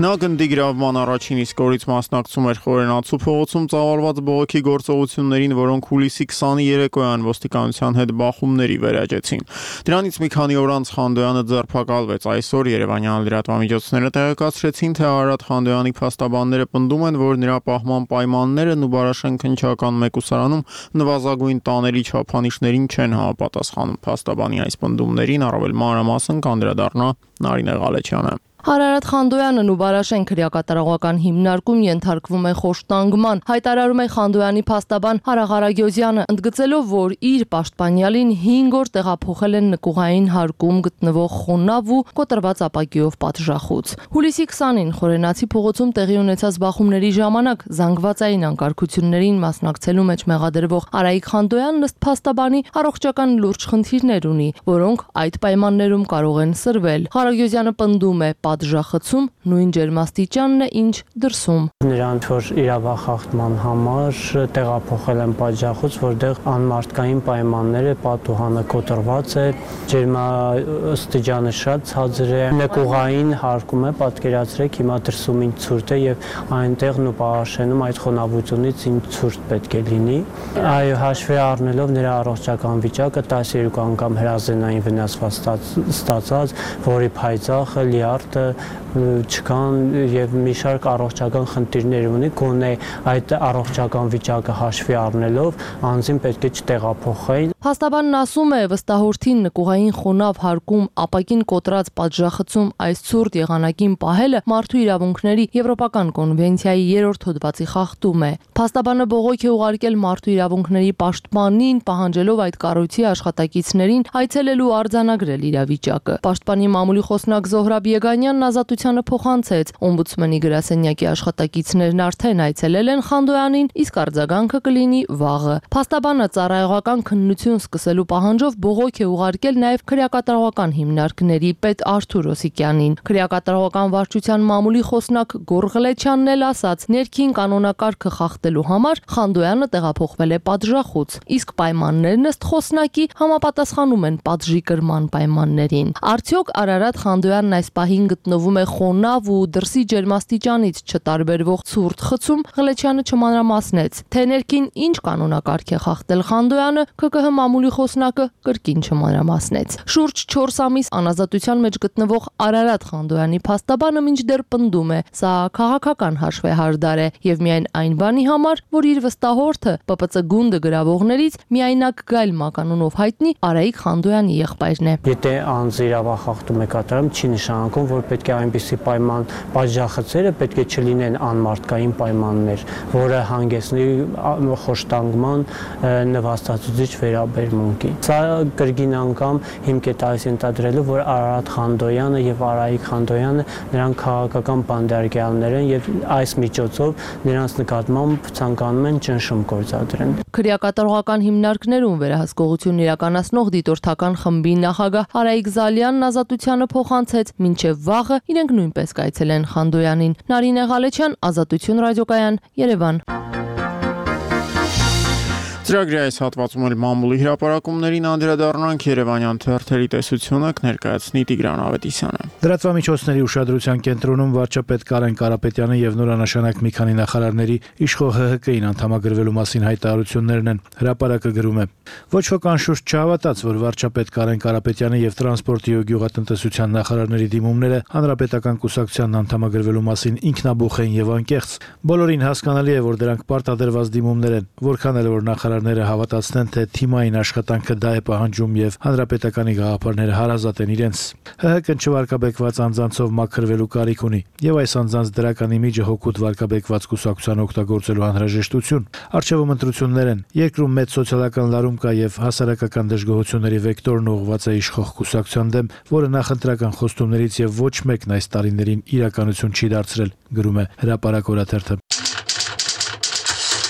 Speaker 1: Նա գնդի գրավման առաջին իսկ օրից մասնակցում էր Խորենացու փողոցում ծավալված բողոքի գործողություններին, որոնք հուլիսի քսանի երեկոյան ոստիկանության հետ բախումների վերաճեցին։ Դրանից մի քանի օր անց Խանդոյանը ձերբակալվեց։ Այսօր Երևանյան լրատվամիջոցները տեղեկացրեցին, թե Արարատ Խանդոյանի փաստաբանները պնդում են, որ նրա պահման պայմաններն ու Բարաշեն քննչական մեկուսարանում նվազագույն տաների չափանիշներին չեն համապատասխանում։ Փաստաբանի այս պնդումներին առավել մանրամասն կանդրադառնա Նարինե Ղալեչյանը։
Speaker 20: Արարատ Խանդոյանն ու Բարաշեն քրեակատարողական հիմնարկում ենթարկվում է խոշտանգման, հայտարարում է Խանդոյանի փաստաբան Հարա Ղարագյոզյանը, ընդգծելով, որ իր պաշտպանյալին հինգ օր տեղափոխել են նկուղային հարկում գտնվող խոնավ ու կոտրված ապակիով պատժախոց։ Հուլիսի քսանին Խորենացի փողոցում տեղի ունեցած բախումների ժամանակ զանգվածային անկարգություններին մասնակցելու մեջ մեղադրվող Արայիկ Խանդոյանն ըստ փաստաբանի առողջական լուրջ խնդիրներ ունի, որոնք այդ պայմաններում կարող են սրվել։ Ղարագյոզյանը պնդում է, պատժախցում նույն ջերմաստիճանն է, ինչ դրսում։
Speaker 21: Նրանց որ իրավախախտման համար տեղափոխել են պատժախոց, որտեղ անմարդկային պայմաններ է, պատուհանը կոտրված է, ջերմաստիճանը շատ ցածր է, նկուղային հարկում է, պատկերացրեք, հիմա դրսում ինչ ցուրտ է եւ այնտեղն ու Պարաշենում այդ խոնավությունից ինչ ցուրտ պետք է լինի։ Այո, հաշվի առնելով նրա առողջական վիճակը տասներկու անգամ հրազենային վնասված ստացած, որի փայծաղը, լիարդը չկան եւ մի շարք առողջական խնդիրներ ունի, գոնե այդ առողջական վիճակը հաշվի առնելով անձին պետք է չտեղափոխեն։
Speaker 20: Փաստաբանն ասում է, վստահորդին նկուղային խոնավ հարկում ապակին կոտրած պատժախցում այս ցուրտ եղանակին պահելը մարդու իրավունքների Եվրոպական կոնվենցիայի երրորդ հոդվածի խախտում է։ Փաստաբանը բողոք է ուղարկել մարդու իրավունքների պաշտպանին, պահանջելով այդ կառույցի աշխատակիցներին այցելելու արձանագրել իրավիճակը։ Պաշտպանի մամուլի խոսնակ Զոհրաբ Եգանյանն Ազատությանը փոխանցեց, օմբուդսմենի գրասենյակի աշխատակիցներն արդեն այցելել են Խանդոյանին, իսկ արձագանքը կլինի վաղը։ Փաստաբանը ծառայողական քննություն սկսելու պահանջով բողոք է ուղարկել նաև քրեակատարողական հիմնարկների պետ Արթուր Օսիկյանին։ Քրեակատարողական վարչության մամուլի խոսնակ Գոռ Ղլեչյանն էլ ասաց, ներքին կանոնակարգը խախտելու համար Խանդոյանը տեղափոխվել է պատժախոց, իսկ պայմաններն ըստ խոսնակի համապատասխանում են պատժի կրման պայմաններին։ Արդյոք Արարատ Խանդոյանն այս պահին գտնվում է խոնավ ու դրսի ջերմաստիճանից չտարբերվող ցուրտ խցում, Ղլեչյանը չմանրամասնեց, թե ներքին ինչ կանոնակարգ է խախտել Խանդոյանը, ՔԿՀ մամուլի խոսնակը կրկին չմանրամասնեց։ Շուրջ չորս ամիս անազատության մեջ գտնվող Արարատ Խանդոյանի փաստաբանը մինչդեռ պնդում է, սա քաղաքական հաշվեհարդար է եւ միայն այն բանի համար, որ իր վստահորդը Պ Պ Ց գունդը գրավողներից միայնակ Գայլ մականունով հայտնի Արայիկ Խանդոյանի եղբայրն է։
Speaker 21: Եթե անձը իրավախախտում է կատարում, չի նշանակում, որ պետք է այնպիսի պայման պատժախցերը պետք է չլինեն անմարդկային պայմաններ, որը հանգեցնի խոշտանգման նվաստացուցիչ վերաբերմունքի։ Սա կրկին անգամ հիմք է տալիս ենթադրելու, որ Արարատ Խանդոյանը եւ Արայիկ Խանդոյանը նրանք քաղաքական բանդարգյալներ են եւ այս միջոցով նրանց նկատմամբ ցանկանում են ճնշում գործադրեն։
Speaker 20: Քրեակատարողական հիմնարկներում վերահսկողություն իրականացնող դիտորդական խմբի նախագահ Արայիկ Զալյանն ազատությանը փոխանցեց, մինչև վաղը իրենք նույնպես կայցելեն Խանդոյանին։ Նարինե Ղալեչյան, Ազատություն ռադիոկայան, Երևան։
Speaker 1: Ծրագրի այս հատվածում էլ մամուլի հրապարակումներին անդրադառնանք Երևանյան թերթերի տեսությունը կներկայացնի Տիգրան Ավետիսյանը։
Speaker 2: Լրատվամիջոցների ուշադրության կենտրոնում վարչապետ Կարեն Կարապետյանը եւ նորանշանակ մի քանի նախարարների իշխող ՀՀԿ-ին անդամագրվելու մասին հայտարարություններն են։ Հրապարակը գրում է. Ոչ ոք անշուշտ չհավատաց, որ վարչապետ Կարեն Կարապետյանը եւ տրանսպորտի ու գյուղատնտեսության նախարարների դիմումները հանրապետական կուսակցության անդամագրվելու մասին ինքնաբուխ են եւ անկեղծ։ Բոլորին հասկանալի է, որ դրանք պարտադրված դիմումներ են, որքան էլ որ նախարարները հավատացնեն, թե թիմային աշխատանքը դա է պահանջում եւ հանրապետականի գաղափարները հարազատ են իրենց։ ՀՀԿ-ն չվարկաբեկված անձանցով մաքրվելու կարիք ունի եւ այս անձանց դրական իմիջը հոգուտ վարկաբեկված կուսակցության օգտագործելու անհրաժեշտություն։ Արժեվում ընտրություններ են։ Երկրում մեծ սոցիալական լարում կա եւ հասարակական դժգոհությունների վեկտորն ուղղված է իշխող կուսակցության դեմ, որը նախընտրական խոստումներից եւ ոչ մեկն այս տարիներին իրականություն չի դարձրել, գրում է Հրապարակ օրաթերթը։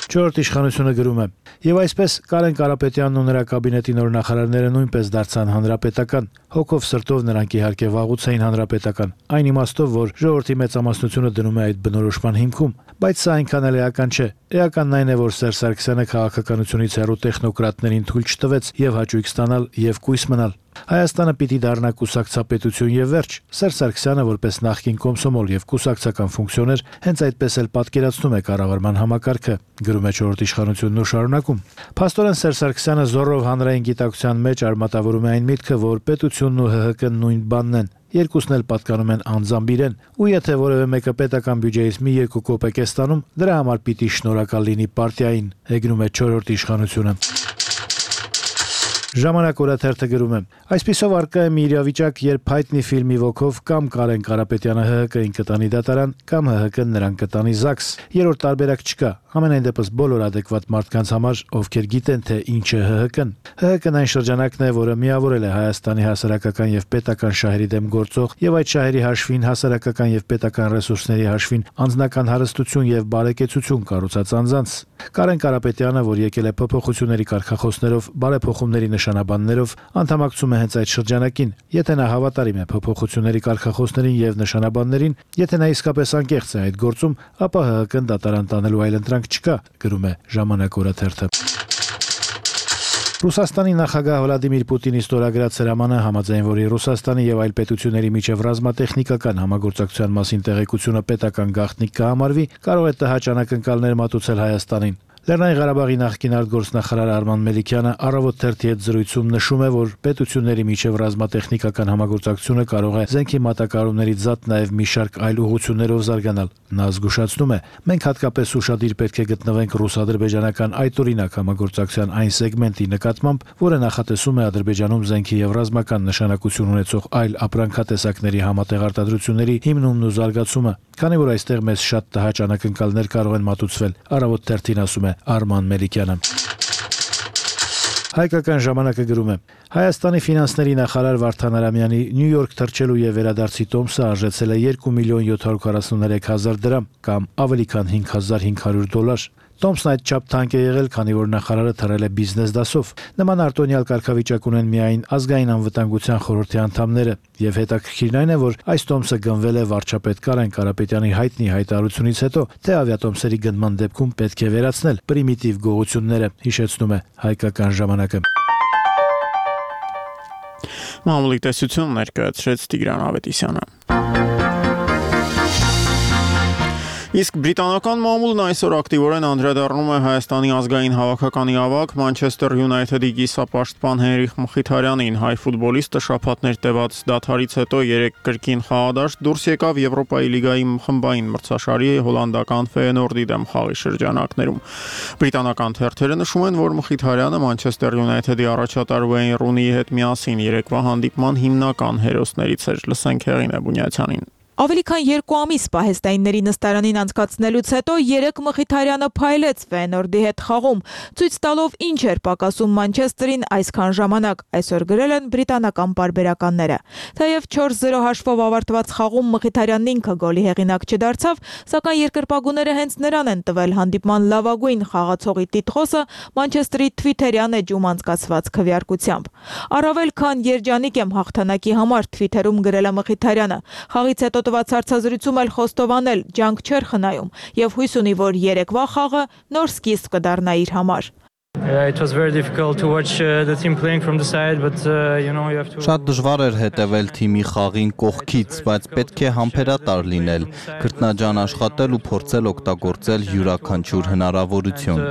Speaker 2: Չորրորդ իշխանությունը գրում է. Եվ այսպես Կարեն Կարապետյանն ու նրա կաբինետի նոր նախարարները նույնպես դարձան հանրապետական։ Հոգով սրտով նրանք իհարկե վաղուց էին հանրապետական, այն իմաստով, որ ժողովրդի մեծամասնությունը դնում է այդ բնորոշման հիմքում, բայց սա այնքան էլ էական չէ։ Էականն այն է, որ Սերժ Սարգսյանը քաղաքականությունից հեռու տեխնոկրատներին թույլ չտվեց եւ հաճույք ստանալ եւ կույս մնալ։ Հայաստանը պիտի դառնա կուսակցապետություն եւ վերջ։ Սերժ Սարգսյանը որպես նախկին կոմսոմոլ եւ կուսակցական ֆունկցիոներ հենց այդպես էլ պատկերացնում է կառավարման համակարգը, գրում է չորրորդ իշխանությունն ու շարունակում։ Փաստորեն Սերժ Սարգսյանը զորով հանրային գիտակցության մեջ արմատավորում է այն միտքը, որ պետությունն ու ՀՀԿ-ն նույն բանն են։ Երկուսն էլ պատկանում են անձամբ իրեն, ու եթե որևէ մեկը պետական բյուջեից մի երկու կոպեկ է ստանում, դրա համար պիտի շնորհակալ լինի պարտիային, հեգնում է չորրորդ իշխանությունը։ Ժամանակ օրաթերթը գրում է. Այսպիսով արկա է մի իրավիճակ, երբ հայտնի ֆիլմի ոգով կամ Կարեն Կարապետյանը ՀՀԿ-ին կտանի դատարան, կամ ՀՀԿ-ն նրան կտանի ԶԱԳՍ։ Երրորդ տարբերակ չկա։ Ամենայն դեպս բոլոր adekvat մարդկանց համար, ովքեր գիտեն, թե ինչ է ՀՀԿ-ն։ ՀՀԿ-ն այն շրջանակն է, որը միավորել է Հայաստանի հասարակական եւ պետական շահերի դեմ գործող եւ այդ շահերի հաշվին հասարակական եւ պետական ռեսուրսների հաշվին անձնական հարստություն եւ բարեկեցություն կառուցած անձանց։ Կարեն Կարապետյանը, որ եկել է փոփոխությունների կարգախոսներով, բարեփոխումների նշանաբաններով, անդամակցում է հենց այդ շրջանակին։ Եթե նա հավատարիմ է փոփոխությունների կարգախոսներին եւ նշանաբաններին, եթե նա իսկապես անկեղծ է այդ գործում, ապա ՀՀԿ-ն դատարան տանելու այլընտրանք չկա, գրում է Ժամանակ օրաթերթը։ Ռուսաստանի նախագահ Վլադիմիր Պուտինի ստորագրած հրամանը, համաձայն որի Ռուսաստանի եւ այլ պետությունների միջև ռազմատեխնիկական համագործակցության մասին տեղեկությունը պետական գաղտնիք կհամարվի, կարող է տհաճ անակնկալներ մատուցել Հայաստանին։ Լեռնային Ղարաբաղի նախկին արտգործնախարար Արման Մելիքյանը առավոտ թերթի հետ զրույցում նշում է, որ պետությունների միջև ռազմատեխնիկական համագործակցությունը կարող է զենքի մատակարարումներից զատ նաև մի շարք այլ ուղղություններով զարգանալ։ Նա զգուշացնում է. մենք հատկապես ուշադիր պետք է գտնվենք ռուս-ադրբեջանական այդօրինակ համագործակցության այն սեգմենտի նկատմամբ, որը նախատեսում է Ադրբեջանում զենքի եւ ռազմական նշանակություն ունեցող այլ ապրանքատեսակների համատեղ արտադրությունների հիմնումն ու զարգացումը, քանի որ այստեղ մեզ շատ տհաճ անակնկալներ կարող են մատուցվել։ Առավոտ թերթին ասում է Արման Մելիքյանը։ Հայկական ժամանակը գրում է. Հայաստանի ֆինանսների նախարար Վարդան Արամյանի Նյու Յորք թռչելու եւ վերադարձի տոմսը արժեցել է երկու միլիոն յոթ հարյուր քառասուններեք հազար դրամ կամ ավելի քան հինգ հազար հինգ հարյուր դոլար։ Տոմսն այդ չափ թանկ է եղել, քանի որ նախարարը թռել է բիզնես դասով։ Նման արտոնյալ կարգավիճակ ունեն միայն ազգային անվտանգության խորհրդի անդամները, եւ հետաքրքիրն այն է, որ այս տոմսը գնվել է վարչապետ Կարեն Կարապետյանի հայտնի հայտարարությունից հետո, թե ավիատոմսերի գնման դեպքում պետք է վերացնել պրիմիտիվ գողությունները, հիշեցնում է Հայկական ժամանակը։
Speaker 1: Մամուլի տեսություն ներկայացրեց Տիգրան Ավետիսյանը։ Իսկ բրիտանական մամուլն այսօր ակտիվորեն անդրադառնում է Հայաստանի ազգային հավաքականի ավագ Մանչեսթեր Յունայթեդի կիսապաշտպան Հենրիխ Մխիթարյանին։ Հայ ֆուտբոլիստը շաբաթներ տևած դադարից հետո երեք կրկին խաղադաշտ դուրս եկավ Եվրոպայի լիգայի խմբային մրցաշարի հոլանդական Ֆեյենորդի դեմ խաղի շրջանակներում։ Բրիտանական թերթերը նշում են, որ Մխիթարյանը Մանչեսթեր Յունայթեդի առաջատար Ուեյն Ռունիի հետ միասին երեկվա հանդիպման հիմնական հերոսներից էր։ Լսենք Հեղինե Բունյացյանին։
Speaker 11: Ավելի քան երկու ամիս պահեստայինների նստարանին անցկացնելուց հետո երեք Մխիթարյանը փայլեց Ֆեյենորդի հետ խաղում, ցույց տալով ինչ էր պակասում Մանչեսթերին այսքան ժամանակ, այսօր գրել են բրիտանական պարբերականները։ Թեև չորս զիրո հաշվով ավարտված խաղում Մխիթարյանն ինքը գոլի հեղինակ չդարձավ, սակայն երկրպագուները հենց նրան են տվել հանդիպման լավագույն խաղացողի տիտղոսը Մանչեսթերի Թվիթերյան էջում անցկացված քվեարկությամբ։ Առավել քան երջանիկ եմ հաղթանակի համար Թվիթերում գրել է Մխիթարյանը։ Խաղից հետո տված հարցազրույցում էլ խոստովանել ջանք չէր խնայում եւ հույս ունի, որ երեկվա խաղը նոր սկիզբ կդառնա իր համար։
Speaker 4: It was very difficult to watch uh, the team playing from the side, but uh, you know you have to.
Speaker 22: Շատ դժվար էր հետևել թիմի խաղին կողքից, բայց պետք է համբերատար լինել, քրտնաջան աշխատել ու փորձել օգտագործել յուրաքանչյուր հնարավորություն։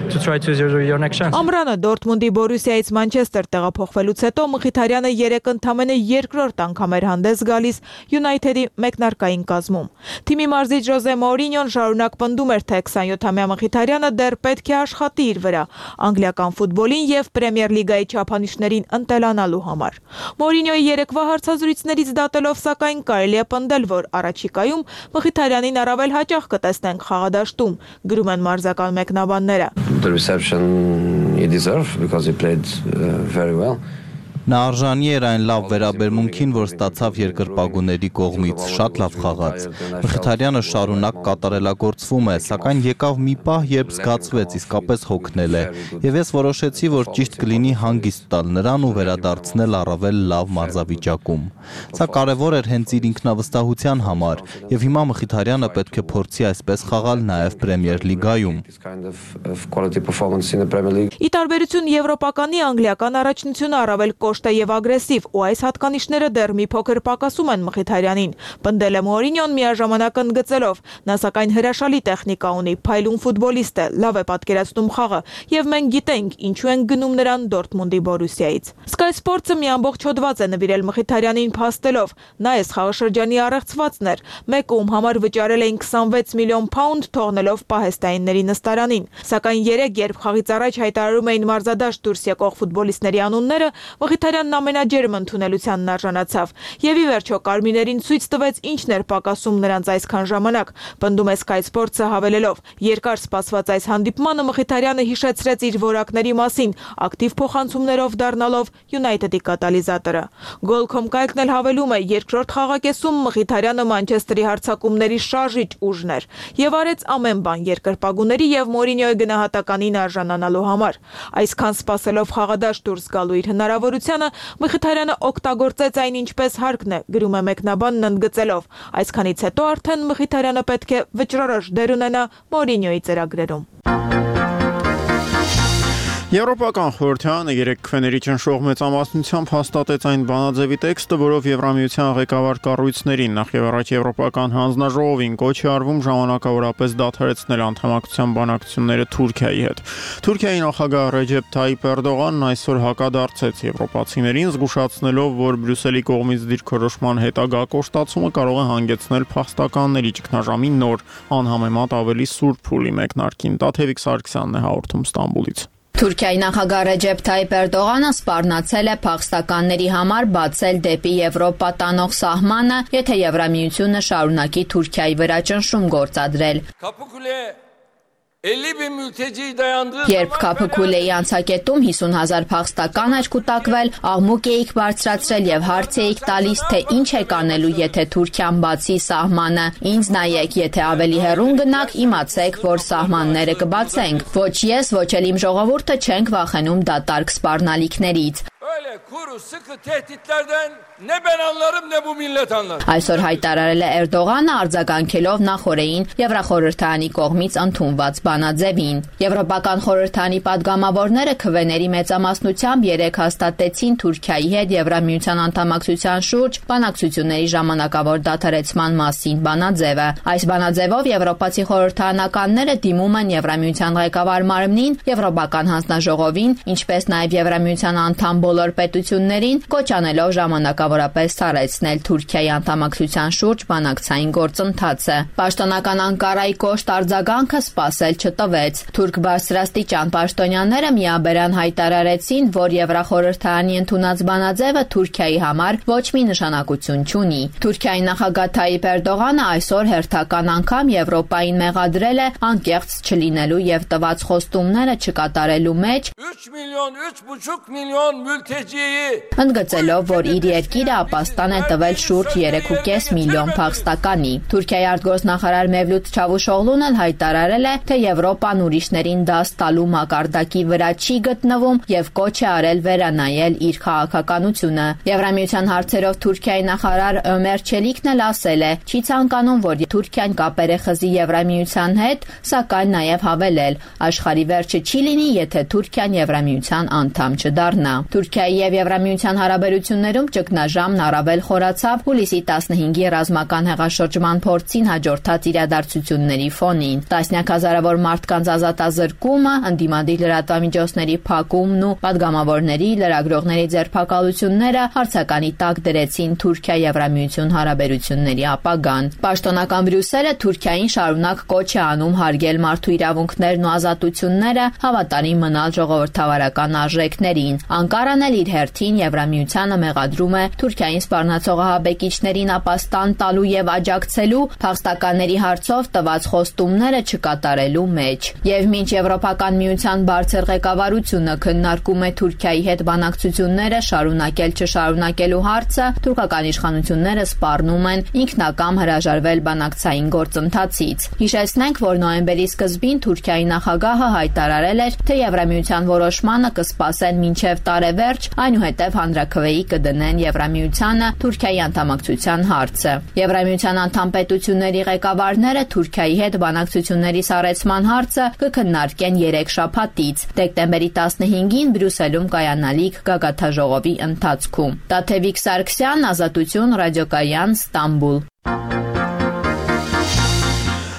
Speaker 4: To try to zero your next chance.
Speaker 11: Ամրանը Դորտմունդի Բորուսիայից Մանչեսթեր տեղափոխվելուց հետո Մխիթարյանը երեք ընդամենը երկրորդ անգամ էր հանդես գալիս Յունայթեդի մեկնարկային կազմում։ Թիմի մարզիչ Ժոզե Մորինյոն շարունակ պնդում էր, թե քսանյոթամյա Մխիթարյանը դեռ պետք է աշխատի իր վրա անգլիական ֆուտբոլին եւ Պրեմիեր լիգայի չափանիշներին ընտելանալու համար։ Մորինյոյի երեկվա հարցազրույցներից դատելով, սակայն կարելի է պնդել, որ առաջիկայում Մխիթարյանին առավել հաճախ կտեսնենք խաղադաշտում, գրում են մարզական մեկնաբանները։
Speaker 23: The reception he deserved because he played uh, very well.
Speaker 22: Նա արժանի էր այն լավ վերաբերմունքին, որ ստացավ երկրպագուների կողմից, շատ լավ խաղաց։ Մխիթարյանը շարունակ կատարելագործվում է, սակայն եկավ մի պահ, երբ զգացվեց իսկապես հոգնել է, եւ ես որոշեցի, որ ճիշտ կլինի հանգիստ տալ նրան ու վերադարձնել առավել լավ մարզավիճակում։ Սա կարևոր էր հենց իր ինքնավստահության համար, եւ հիմա Մխիթարյանը պետք է փորձի այսպես խաղալ նաեւ Պրեմիեր լիգայում։
Speaker 11: Ի տարբերություն եվրոպականի անգլիական առաջնությունը առավել կոշտ է եւ ագրեսիվ, ու այս հատկանիշները դեռ մի փոքր պակասում են Մխիթարյանին, պնդել է Մորինյոն միաժամանակ ընդգծելով, նա սակայն հրաշալի տեխնիկա ունի, փայլուն ֆուտբոլիստ է, լավ է պատկերացնում խաղը, եւ մենք գիտենք ինչու են գնում նրան Դորտմունդի Բորուսիայից։ Sky Sports-ը մի ամբողջ հոդված է նվիրել Մխիթարյանին փաստելով, նա այս խաղաշրջանի առեղծվածն էր, մեկում համար վճարել էին քսանվեց միլիոն փաունդ թողնելով պահեստայինների նստարանին, սակայն երեք երբ խաղից առաջ հայտարարում էին մարզադաշտ դուրս եկող ֆուտբոլիստների անունները, Մխիթարյանն ամենաջերմ ընդունելությանն արժանացավ եւ ի վերջո կարմիրներին ցույց տվեց ինչն էր պակասում նրանց այսքան ժամանակ, պնդում է Sky Sports-ը հավելելով. երկար սպասված այս հանդիպմանը Մխիթարյանը հիշեցրեց իր որակների մասին, ակտիվ փոխանցումներով դառնալով Յունայթեդի կատալիզատորը։ Goal.com կայքն էլ հավելում է, երկրորդ խաղակեսում Մխիթարյանը Մանչեսթերի հարձակումների շարժիչ ուժն էր եւ արեց ամեն բան երկրպագուների եւ Մորինյոյի գնահատականին արժանանալու համար։ Այսքան սպասելով խաղադաշտ դուրս գալու իր հնարավորությանը Մխիթարյանը օգտագործեց այն ինչպես հարկն է, գրում է մեկնաբանն ընդգծելով։ Այսքանից հետո արդեն Մխիթարյանը պետք է վճռորոշ դեր ունենա Մորինյոյի ծրագրերում։
Speaker 1: Եվրոպական խորհրդարանը երեք քվեների ճնշող մեծամասնությամբ հաստատեց այն բանաձևի տեքստը, որով Եվրամիության ղեկավար կառույցներին նախ եւ առաջ Եվրոպական հանձնաժողովին կոչ է արվում ժամանակավորապես դադարեցնել անդամակցության բանակցությունները Թուրքիայի հետ։ Թուրքիայի նախագահ Ռեջեփ Թայիփ Էրդողանն այսօր հակադարձեց եվրոպացիներին, զգուշացնելով, որ Բրյուսելի կողմից դիրքորոշման հետագա կոշտացումը կարող է հանգեցնել փախստականների ճգնաժամի նոր անհամեմատ ավելի սուր փուլի մեկնարկին։ Տաթևիկ Սարգսյանն է հաղորդում Ստամբուլից։
Speaker 24: Թուրքիայի նախագահ Ռեջեփ Թայիփ Էրդողանը սպառնացել է փախստականների համար բացել դեպի Եվրոպա տանող սահմանը, եթե Եվրամիությունը շարունակի Թուրքիայի վրա ճնշում գործադրել։ Երբ Քափուքուլեի անցակետում հիսուն հազար փախստական էր կուտակվել, աղմուկ էիք բարձրացրել եւ հարց էիք տալիս, թե ինչ եք անելու, եթե Թուրքիան բացի սահմանը։ Ինձ նայեք, եթե ավելի հեռուն գնաք, իմացեք, որ սահմանները կբացենք։ Ոչ ես, ոչ էլ իմ ժողովուրդը չենք վախենում դատարկ սպառնալիքներից։ Այսօր հայտարարել է Էրդողանը արձագանքելով նախորդին Եվրախորհրդարանի կողմից ընդունված բանաձևին։ Եվրոպական խորհրդարանի падգամավորները քվեների մեծամասնությամբ երեք հաստատեցին Թուրքիայի հետ Եվրամիության անդամակցության շուրջ բանակցությունների ժամանակավոր դադարեցման մասին բանաձևը։ Այս բանաձևով եվրոպացի խորհրդարանականները դիմում են Եվրամիության ղեկավար մարմնին, Եվրոպական հանձնաժողովին, ինչպես նաև Եվրամիության անդամ բոլոր պետություններին, կոչ անելով ժամանակավոր մշտավորապես սառեցնել Թուրքիայի անդամակցության շուրջ բանակցային գործընթացը։ Պաշտոնական Անկարայի կոշտ արձագանքը սպասել չտվեց։ Թուրք բարձրաստիճան պաշտոնյաները միաբերան հայտարարեցին, որ Եվրախորհրդարանի ընդունած բանաձևը Թուրքիայի համար ոչ մի նշանակություն չունի։ Թուրքիայի նախագահ Թայիպ Էրդողանը այսօր հերթական անգամ Եվրոպային մեղադրել է անկեղծ չլինելու եւ տված խոստումները չկատարելու մեջ,
Speaker 3: üç milyon üç buçuk milyon mülteciyi
Speaker 24: ընդգծելով, որ իր երկիրը ապաստան է տվել շուրջ երեք ու կես միլիոն փախստականի։ Թուրքիայի արտգործնախարար Մևլութ Չավուշօղլուն էլ հայտարարել է, թե Եվրոպան ուրիշներին դաս տալու մակարդակի վրա չի գտնվում եւ կոչ է արել վերանայել իր քաղաքականությունը։ Եվրամիության հարցերով Թուրքիայի նախարար Ömer Çelikն էլ ասել է, չի ցանկանում, որ Թուրքիան կապեր է խզի Եվրամիության հետ, սակայն նաեւ հավելել, աշխարհի վերջը չի լինի, եթե Թուրքիան Եվրամիության անդամ չդառնա։ Թուրքիայի եւ Եվրամիության հարաբերություններում ճգնաժամն առավել խորացավ հուլիսի տասնհինգի ռազմական հեղաշրջման փորձին հաջորդած իրադարձությունների ֆոնին։ Տասնյակ հազարավոր մարդկանց ազատազրկումը, ընդդիմադիր լրատվամիջոցների փակումն ու պատգամավորների, լրագրողների ձերբակալությունները հարցականի տակ դրեցին Թուրքիա-Եվրամիություն հարաբերությունների ապագան։ Պաշտոնական Բրյուսելը Թուրքիային շարունակ կոչ է անում հարգել մարդու իրավունքներն ու ազատությունները, հավատարիմ մնալ ժողովրդավարական արժեքներին։ Անկարան էլ իր հերթին Եվրամիությանը մեղադրում է Թուրքիային սպառնացող ահաբեկիչներին ապաստան տալու եւ աջակցելու, փախստականների հարցով տված խոստումները չկատարելու մեջ։ Եվ մինչ Եվրոպական միության բարձր ղեկավարությունը քննարկում է Թուրքիայի հետ բանակցությունները շարունակել չշարունակելու հարցը, թուրքական իշխանությունները սպառնում են ինքնակամ հրաժարվել բանակցային գործընթացից։ Հիշեցնենք, որ նոյեմբերի սկզբին Թուրքիայի նախագահը հայտարարել էր, թե Եվրամիության որոշմանը կսպասեն մինչև տարեվերջ, այնուհետև հանրաքվեի կդնեն Եվրամիությանը Թուրքիայի անդամակցության հարցը։ Եվրամիության անդամ պետությունների ղեկավարները Թուրքիայի հետ բանակցությունների սառեցման հարցը կքննարկեն երեք շաբաթից, դեկտեմբերի տասնհինգին Բրյուսելում կայանալիք գագաթաժողովի ընթացքում։ Տաթևիկ Սարգսյան, Ազատություն, Ռադիոկայան, Ստամբուլ։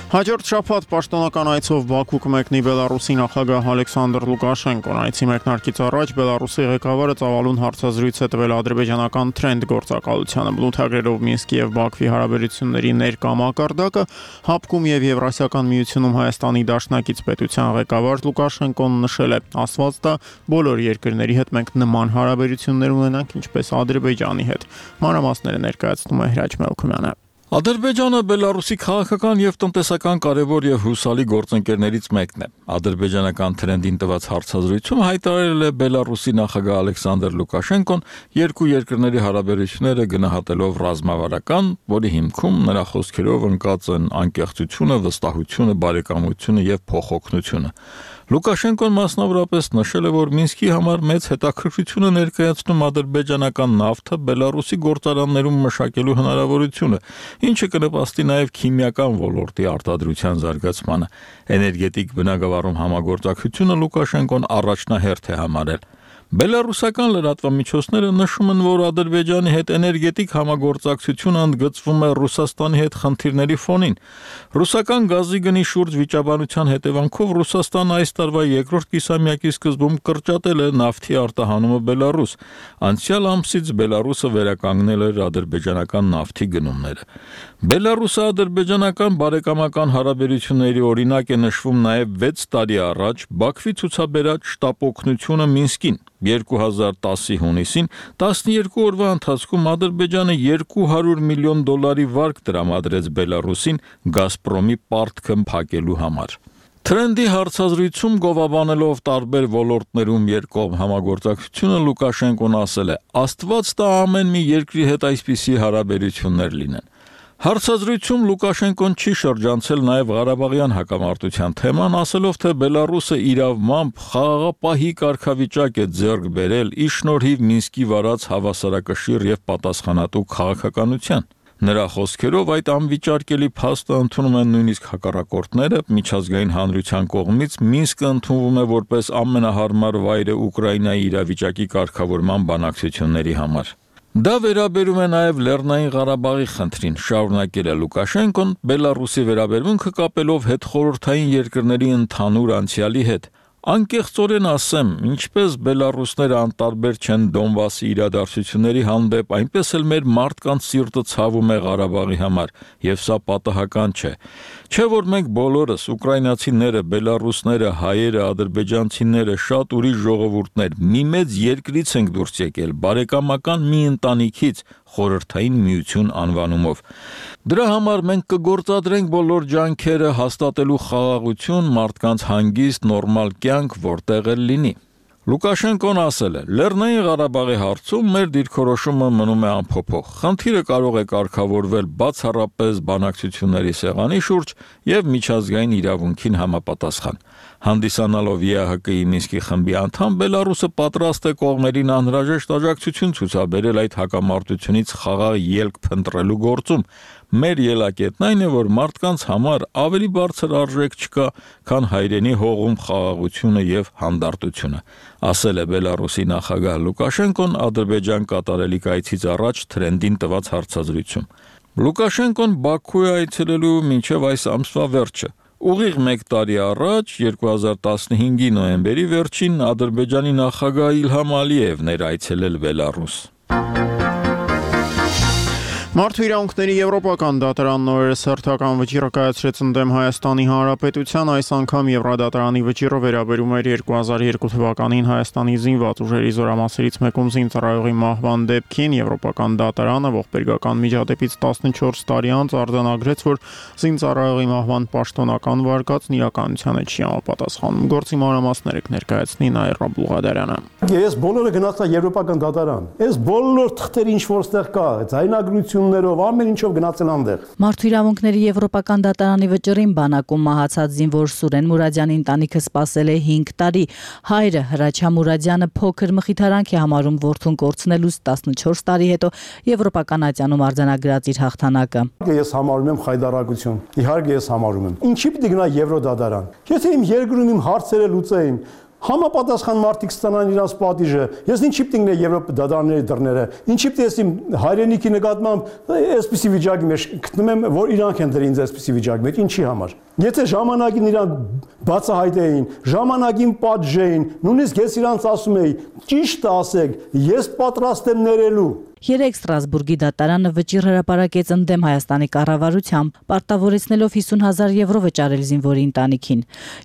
Speaker 1: Հաջորդ շաբաթ պաշտոնական այցով Բաքու կմեկնի Բելարուսի նախագահ Ալեքսանդր Լուկաշենկոն։ Այցի մեկնարկից առաջ Բելարուսի ղեկավարը ծավալուն հարցազրույց է տվել ադրբեջանական Թրենդ գործակալությանը, բնութագրելով Մինսկի եւ Բաքվի հարաբերությունների ներկա մակարդակը, հապկում եւ Եվրասիական միությունում Հայաստանի դաշնակից պետության ղեկավար Լուկաշենկոն նշել է. «Աստված տա, բոլոր երկրների հետ մենք նման հարաբերություններ ունենանք, ինչպես Ադրբեջանի հետ»։ Մանրամասները ներկայացնում է Հրաչ Մելքումյանը։
Speaker 5: Ադրբեջանը Բելարուսի քաղաքական եւ տնտեսական կարևոր եւ հուսալի գործընկերներից մեկն է։ Ադրբեջանական Թրենդին տված հարցազրույցում հայտարարել է Բելարուսի նախագահ Ալեքսանդր Լուկաշենկոն երկու երկրների հարաբերությունները գնահատելով ռազմավարական, որի հիմքում նրա խոսքերով ընկած են անկեղծությունը, վստահությունը, բարեկամությունը եւ փոխօգնությունը։ Լուկաշենկոն մասնավորապես նշել է, որ Մինսկի համար մեծ հետաքրքրություն է ներկայացնում ադրբեջանական նավթը Բելարուսի գործարաններում մշակելու հնարավորությունը, ինչը կնպաստի նաև քիմիական ոլորտի արտադրության զարգացմանը։ Էներգետիկ բնագավառում համագործակցությունը Լուկաշենկոն առաջնահերթ է համարել։ Բելարուսական լրատվամիջոցները նշում են, որ Ադրբեջանի հետ էներգետիկ համագործակցությունը ընդգծվում է Ռուսաստանի հետ խնդիրների ֆոնին։ Ռուսական գազի գնի շուրջ վիճաբանության հետևանքով Ռուսաստանը այս տարվա երկրորդ կիսամյակի սկզբում կրճատել է նավթի արտահանումը Բելարուս։ Անցյալ ամսից Բելարուսը վերականգնել էր ադրբեջանական նավթի գնումները։ Բելարուսա-ադրբեջանական բարեկամական հարաբերությունների օրինակ է նշվում նաև վեց տարի առաջ Բաքվի ցուցաբերած շտապօգնությունը Մինսկին։ երկու հազար տասի հունիսին տասնյոթ օրվա ընթացքում Ադրբեջանը երկու հարյուր միլիոն դոլարի վարկ տրամադրեց Բելարուսին Գազպրոմի պարտքը փակելու համար։ Թրենդի հարցազրույցում գովաբանելով տարբեր ոլորտներում երկկողմ համագործակցությունը Լուկաշենկոն ասել է. «Աստված տա ամեն մի երկրի հետ այսպիսի հարաբերություններ լինեն»։ Հարցազրույցում Լուկաշենկոն չի շրջանցել նաև Ղարաբաղյան հակամարտության թեման, ասելով, թե Բելարուսը իրավմամբ խաղաղապահի կարգավիճակ է ձեռք բերել ի շնորհիվ Մինսկի վարած հավասարակշիռ եւ պատասխանատու քաղաքականության։ Նրա խոսքերով այդ անվիճարկելի փաստը ընդունում են նույնիսկ հակառակորդները, միջազգային հանրության կողմից Մինսկը ընդունվում է որպես ամենահարմար վայրը Ուկրաինայի իրավիճակի կարգավորման բանակցությունների համար։ Դա վերաբերում է նաև Լեռնային Ղարաբաղի խնդրին, շարունակել է Լուկաշենկոն, Բելարուսի վերաբերմունքը կապելով հետխորհրդային երկրների ընդհանուր անցյալի հետ։ Անկեղծորեն ասեմ, ինչպես բելարուսները անտարբեր չեն Դոնբասի իրադարձությունների հանդեպ, այնպես էլ մեր մարդկանց սիրտը ցավում է Ղարաբաղի համար, եւ սա պատահական չէ։ Չէ որ մենք բոլորս, ուկրաինացիները, բելարուսները, հայերը, ադրբեջանցիները, շատ ուրիշ ժողովուրդներ, մի մեծ երկրից ենք դուրս եկել, բարեկամական մի ընտանիքից, խորհրդային միություն անվանումով։ Դրա համար մենք կգործադրենք բոլոր ջանքերը հաստատելու խաղաղություն, մարդկանց հանգիստ, նորմալ կյանք, որտեղ էլ լինի։ Լուկաշենկոն ասել է. Լեռնային Ղարաբաղի հարցում մեր դիրքորոշումը մնում է անփոփոխ։ Խնդիրը կարող է կարգավորվել բացառապես բանակցությունների սեղանի շուրջ եւ միջազգային իրավունքին համապատասխան։ Հանդիսանալով Է Ա Հ Կ-ի Մինսկի խմբի անդամ, Բելարուսը պատրաստ է կողմերին անհրաժեշտ աջակցություն ցուցաբերել այդ հակամարտությունից խաղաղ ելք փնտրելու գործում։ Մեր ելակետն այն է, որ մարդկանց համար ավելի բարձր արժեք չկա, քան հայրենի հողում խաղաղությունը եւ հանդարտությունը, ասել է Բելարուսի նախագահ Լուկաշենկոն Ադրբեջան կատարելիք այցից առաջ Թրենդին տված հարցազրույցում։ Լուկաշենկոն Բաքու է այցելելու մինչև այս ամսվա վերջը։ Ուղիղ մեկ տարի առաջ, երկու հազար տասնհինգի նոյեմբերի վերջին, Ադրբեջանի նախագահ Իլհամ Ալիևն էր այցելել Բելարուս։
Speaker 1: Մարդու իրավունքների եվրոպական դատարանն օրերս հերթական վճիռ կայացրեց ընդդեմ Հայաստանի Հանրապետության, այս անգամ Եվրադատարանի վճիռը վերաբերում էր երկու հազար երկու թվականին Հայաստանի զինված ուժերի զորամասերից մեկում զինծառայողի մահվան դեպքին։ Եվրոպական դատարանը ողբերգական միջադեպից տասնչորս տարի անց արձանագրեց, որ զինծառայողի մահվան պաշտոնական վարկածն իրականությանը չի համապատասխանում։ Գործի մանրամասները կներկայացնի Նաիրա Բուղադարյանը։
Speaker 6: Ես բոլորը գնացա Եվրոպական դատարան։ Այս բոլոր թղթերը ինչ որ ստեղ կա, ձայնագրություն ամեն ինչով գնացել անտեղ։
Speaker 8: Մարդու իրավունքների եվրոպական դատարանի վճռին բանակում մահացած զինվոր Սուրեն Մուրադյանի ընտանիքը սպասել է հինգ տարի։ Հայրը Հրաչյա Մուրադյանը փոքր մխիթարանք է համարում որդուն կորցնելուց տասնչորս տարի հետո եվրոպական ատյանում արձանագրած իր հաղթանակը։
Speaker 6: Ես համարում եմ խայտարակություն։ Իհարկե ես համարում եմ։ Ինչի՞ պիտի գնա Եվրոդատարան։ Եթե իմ երկրում իմ հարցերը լուծեին, համապատասխան մարդիկ ստանան իրաց պատիժը։ Ես ինչի՞ պիտի գնա Եվրոպա դատարանների դռները։ Ինչի՞ պիտի ես իմ հայրենիքի նկատմամբ այսպիսի վիճակի մեջ գտնում եմ, որ իրանք են դրել ինձ այսպիսի վիճակի մեջ, ինչի համար։ Եթե ժամանակին իրանք բացահայտեին, ժամանակին պատժեին, նույնիսկ ես իրանց ասում էի, ճիշտ ասեք, ես պատրաստ եմ ներելու։
Speaker 8: Երեք Ստրասբուրգի դատարանը վճիռ հրապարակեց ընդդեմ Հայաստանի կառավարությամբ, պարտավորեցնելով հիսուն հազար եվրո վճարել զինվորի ընտանիքին։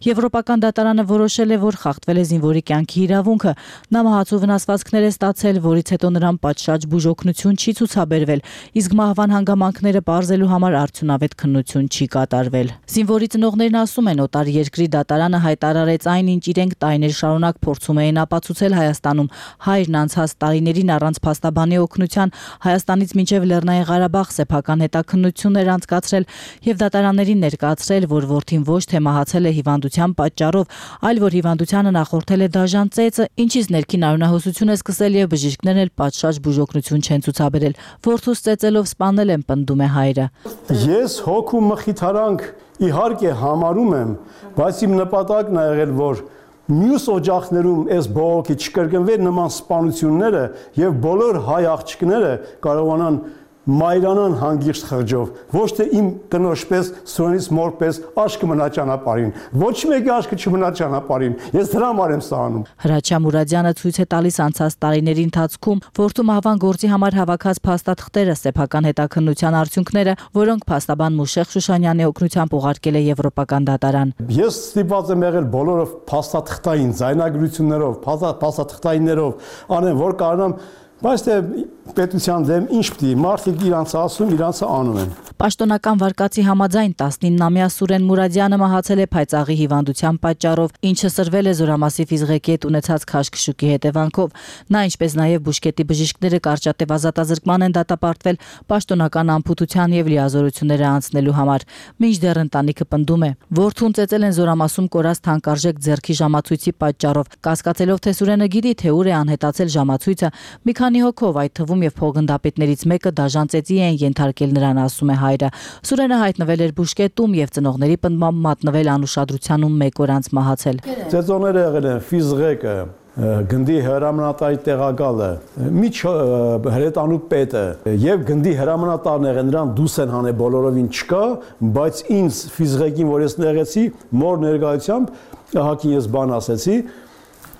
Speaker 8: Եվրոպական դատարանը որոշել է, որ խախտվել է զինվորի կյանքի իրավունքը, նա մահացու վնասվածքներ է ստացել, որից հետո նրան պատշաճ բուժօգնություն չի ցուցաբերվել, իսկ մահվան հանգամանքները պարզելու համար արդյունավետ քննություն չի կատարվել։ Զինվորի ծնողներն ասում են, օտար երկրի դատարանը հայտարարեց այն, ինչ իրենք տարիներ շարունակ փորձում էին ապացուցել Հայաստանում։ Հայրն անցած տարիներին առանց փաստաբանի օգնության Հայաստանից մինչև Լեռնային Ղարաբաղ սեփական հետաքննություններ անցկացրել եւ դատարաններին ներկայացրել, որ որդին ոչ թե մահացել է հիվանդության պատճառով, այլ որ հիվանդությանը նախորդել է դաժան ծեծը, ինչից ներքին արյունահոսություն է սկսել եւ բժիշկներն էլ պատշաճ բուժօգնություն չեն ցուցաբերել։ Որդուս ծեծելով սպանել են, պնդում է հայրը։
Speaker 6: Ես հոգու մխիթարանք իհարկե համարում եմ, բայց իմ նպատակն է եղել, որ մյուս օջախներում այս բողոքի չկրկնվեն նման սպանությունները եւ բոլոր հայ աղջիկները կարողանան մայրանան հանգիստ խղճով, ոչ թե իմ տնոշպես, Սուրենից մորպես աշկը մնա ճանապարհին, ոչ մեկի աշկը չմնա ճանապարհին, ես դրա համար եմ սա անում։
Speaker 8: Հրաչյա Մուրադյանը ցույց է տալիս անցած տարիների ընթացքում որդու մահվան գործի համար հավաքած փաստաթղթերը, սեփական հետաքննության արդյունքները, որոնք փաստաբան Մուշեղ Շուշանյանի օգնությամբ ուղարկել է Եվրոպական դատարան։
Speaker 6: Ես ստիպված եմ եղել բոլորով փաստաթղթային ձայնագրություններով, փաստաթղթայիններով անեմ, որ կարողանամ, բայց թե պետության դեմ ինչ պիտի մարդիկ իրանց ասում, իրանցը անում են։
Speaker 8: Պաշտոնական վարկածի համաձայն տասնիննամյա Սուրեն Մուրադյանը մահացել է փայծաղի հիվանդության պատճառով, ինչը սրվել է զորամասի ֆիզղեկետ ունեցած քաշքշուկի հետևանքով։ Նա, ինչպես նաև բուժկետի բժիշկները կարճատև ազատազրկման են դատապարտվել պաշտոնական անփութության եւ լիազորությունները անցնելու համար։ Մինչդեռ ընտանիքը պնդում է, որդուն ծեծել են զորամասում կորած թանկարժեք ձեռքի ժամացույցի պատճառով, կասկածելով, թե Սուրենը գիտի, թե ուր է անհետացել ժամացույցը, մի քանի հոգով, այդ թվում եւ փոխգնդապետներից մեկը դաժան ծեծի են ենթարկել նրան, ասում է հայրը։ Սուրենը հայտնվել էր բուժկետում եւ ծնողների պնդմամբ մատնվել անուշադրությունում մեկ օր անց մահացել։
Speaker 6: Ծեծողները եղել են ֆիզղեկը, գնդի հրամանատարի տեղակալը, միջ հրետանու պետը եւ գնդի հրամանատարները նրան դուս են հանել բոլորովին չկա, բայց ինձ ֆիզիկին, որ ես ներեցի, մոր ներկայությամբ ահագին ես բան ասեցի,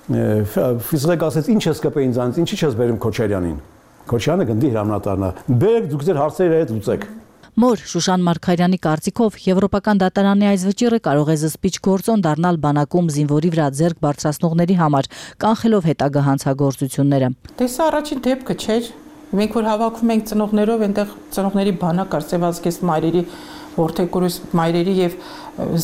Speaker 6: ֆիզիկ ասեց ինչ ես կպե ինձ անց, ինչի չես բերում Քոչարյանին։ Քոչարյանը գնդի հրամանատարն է։ Բերեք դուք ձեր հարցերը հետ լուծեք։
Speaker 8: Մոր Շուշան Մարգարյանի կարծիքով Եվրոպական դատարանի այս վճիռը կարող է զսպիչ գործոն դառնալ բանակում զինվորի վրա ձեռք բարձրացնողների համար, կանխելով հետագա հանցագործությունները։
Speaker 7: Դե սա առաջին դեպքը չէր։ Մենք որ հավաքում ենք ծնողներով, այնտեղ ծնողների բանակ արծեվածքես մայրերի, որդեկորուս մայրերի եւ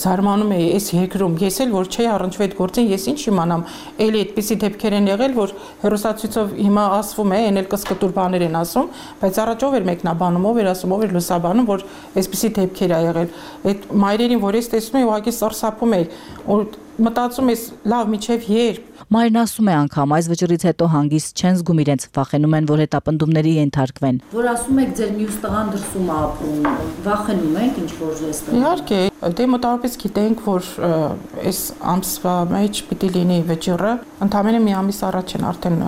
Speaker 7: զարմանում էի այս երկրում ես էլ որ չէի առնչվի այդ գործին ես ինչ իմանամ էլի այդպիսի դեպքեր են եղել որ հերոսացույցով հիմա ասվում է այն էլ կսկտուր բաներ են ասում բայց առաջով էր մեկնաբանում ով էր ասում ով էր լուսաբանում որ այսպիսի դեպքեր ա եղել այդ մայրերին որ ես տեսնում եմ ուղղակի սարսափում էի որ մտածում ես լավ միջև երբ
Speaker 8: Մայրն ասում է անգամ այս վճռից հետո հանգիստ չեն զգում իրենց վախենում են որ հետապնդումների ենթարկվեն
Speaker 9: որ ասում եք ձեր մյուս տղան դրսում է ապրում վախենում եք ինչ որ ժեստը
Speaker 7: Իհարկե դե մոտավորապես գիտենք որ այս ամսվա մեջ պիտի լինի վճիռը ընդամենը մի ամիս առաջ են արդեն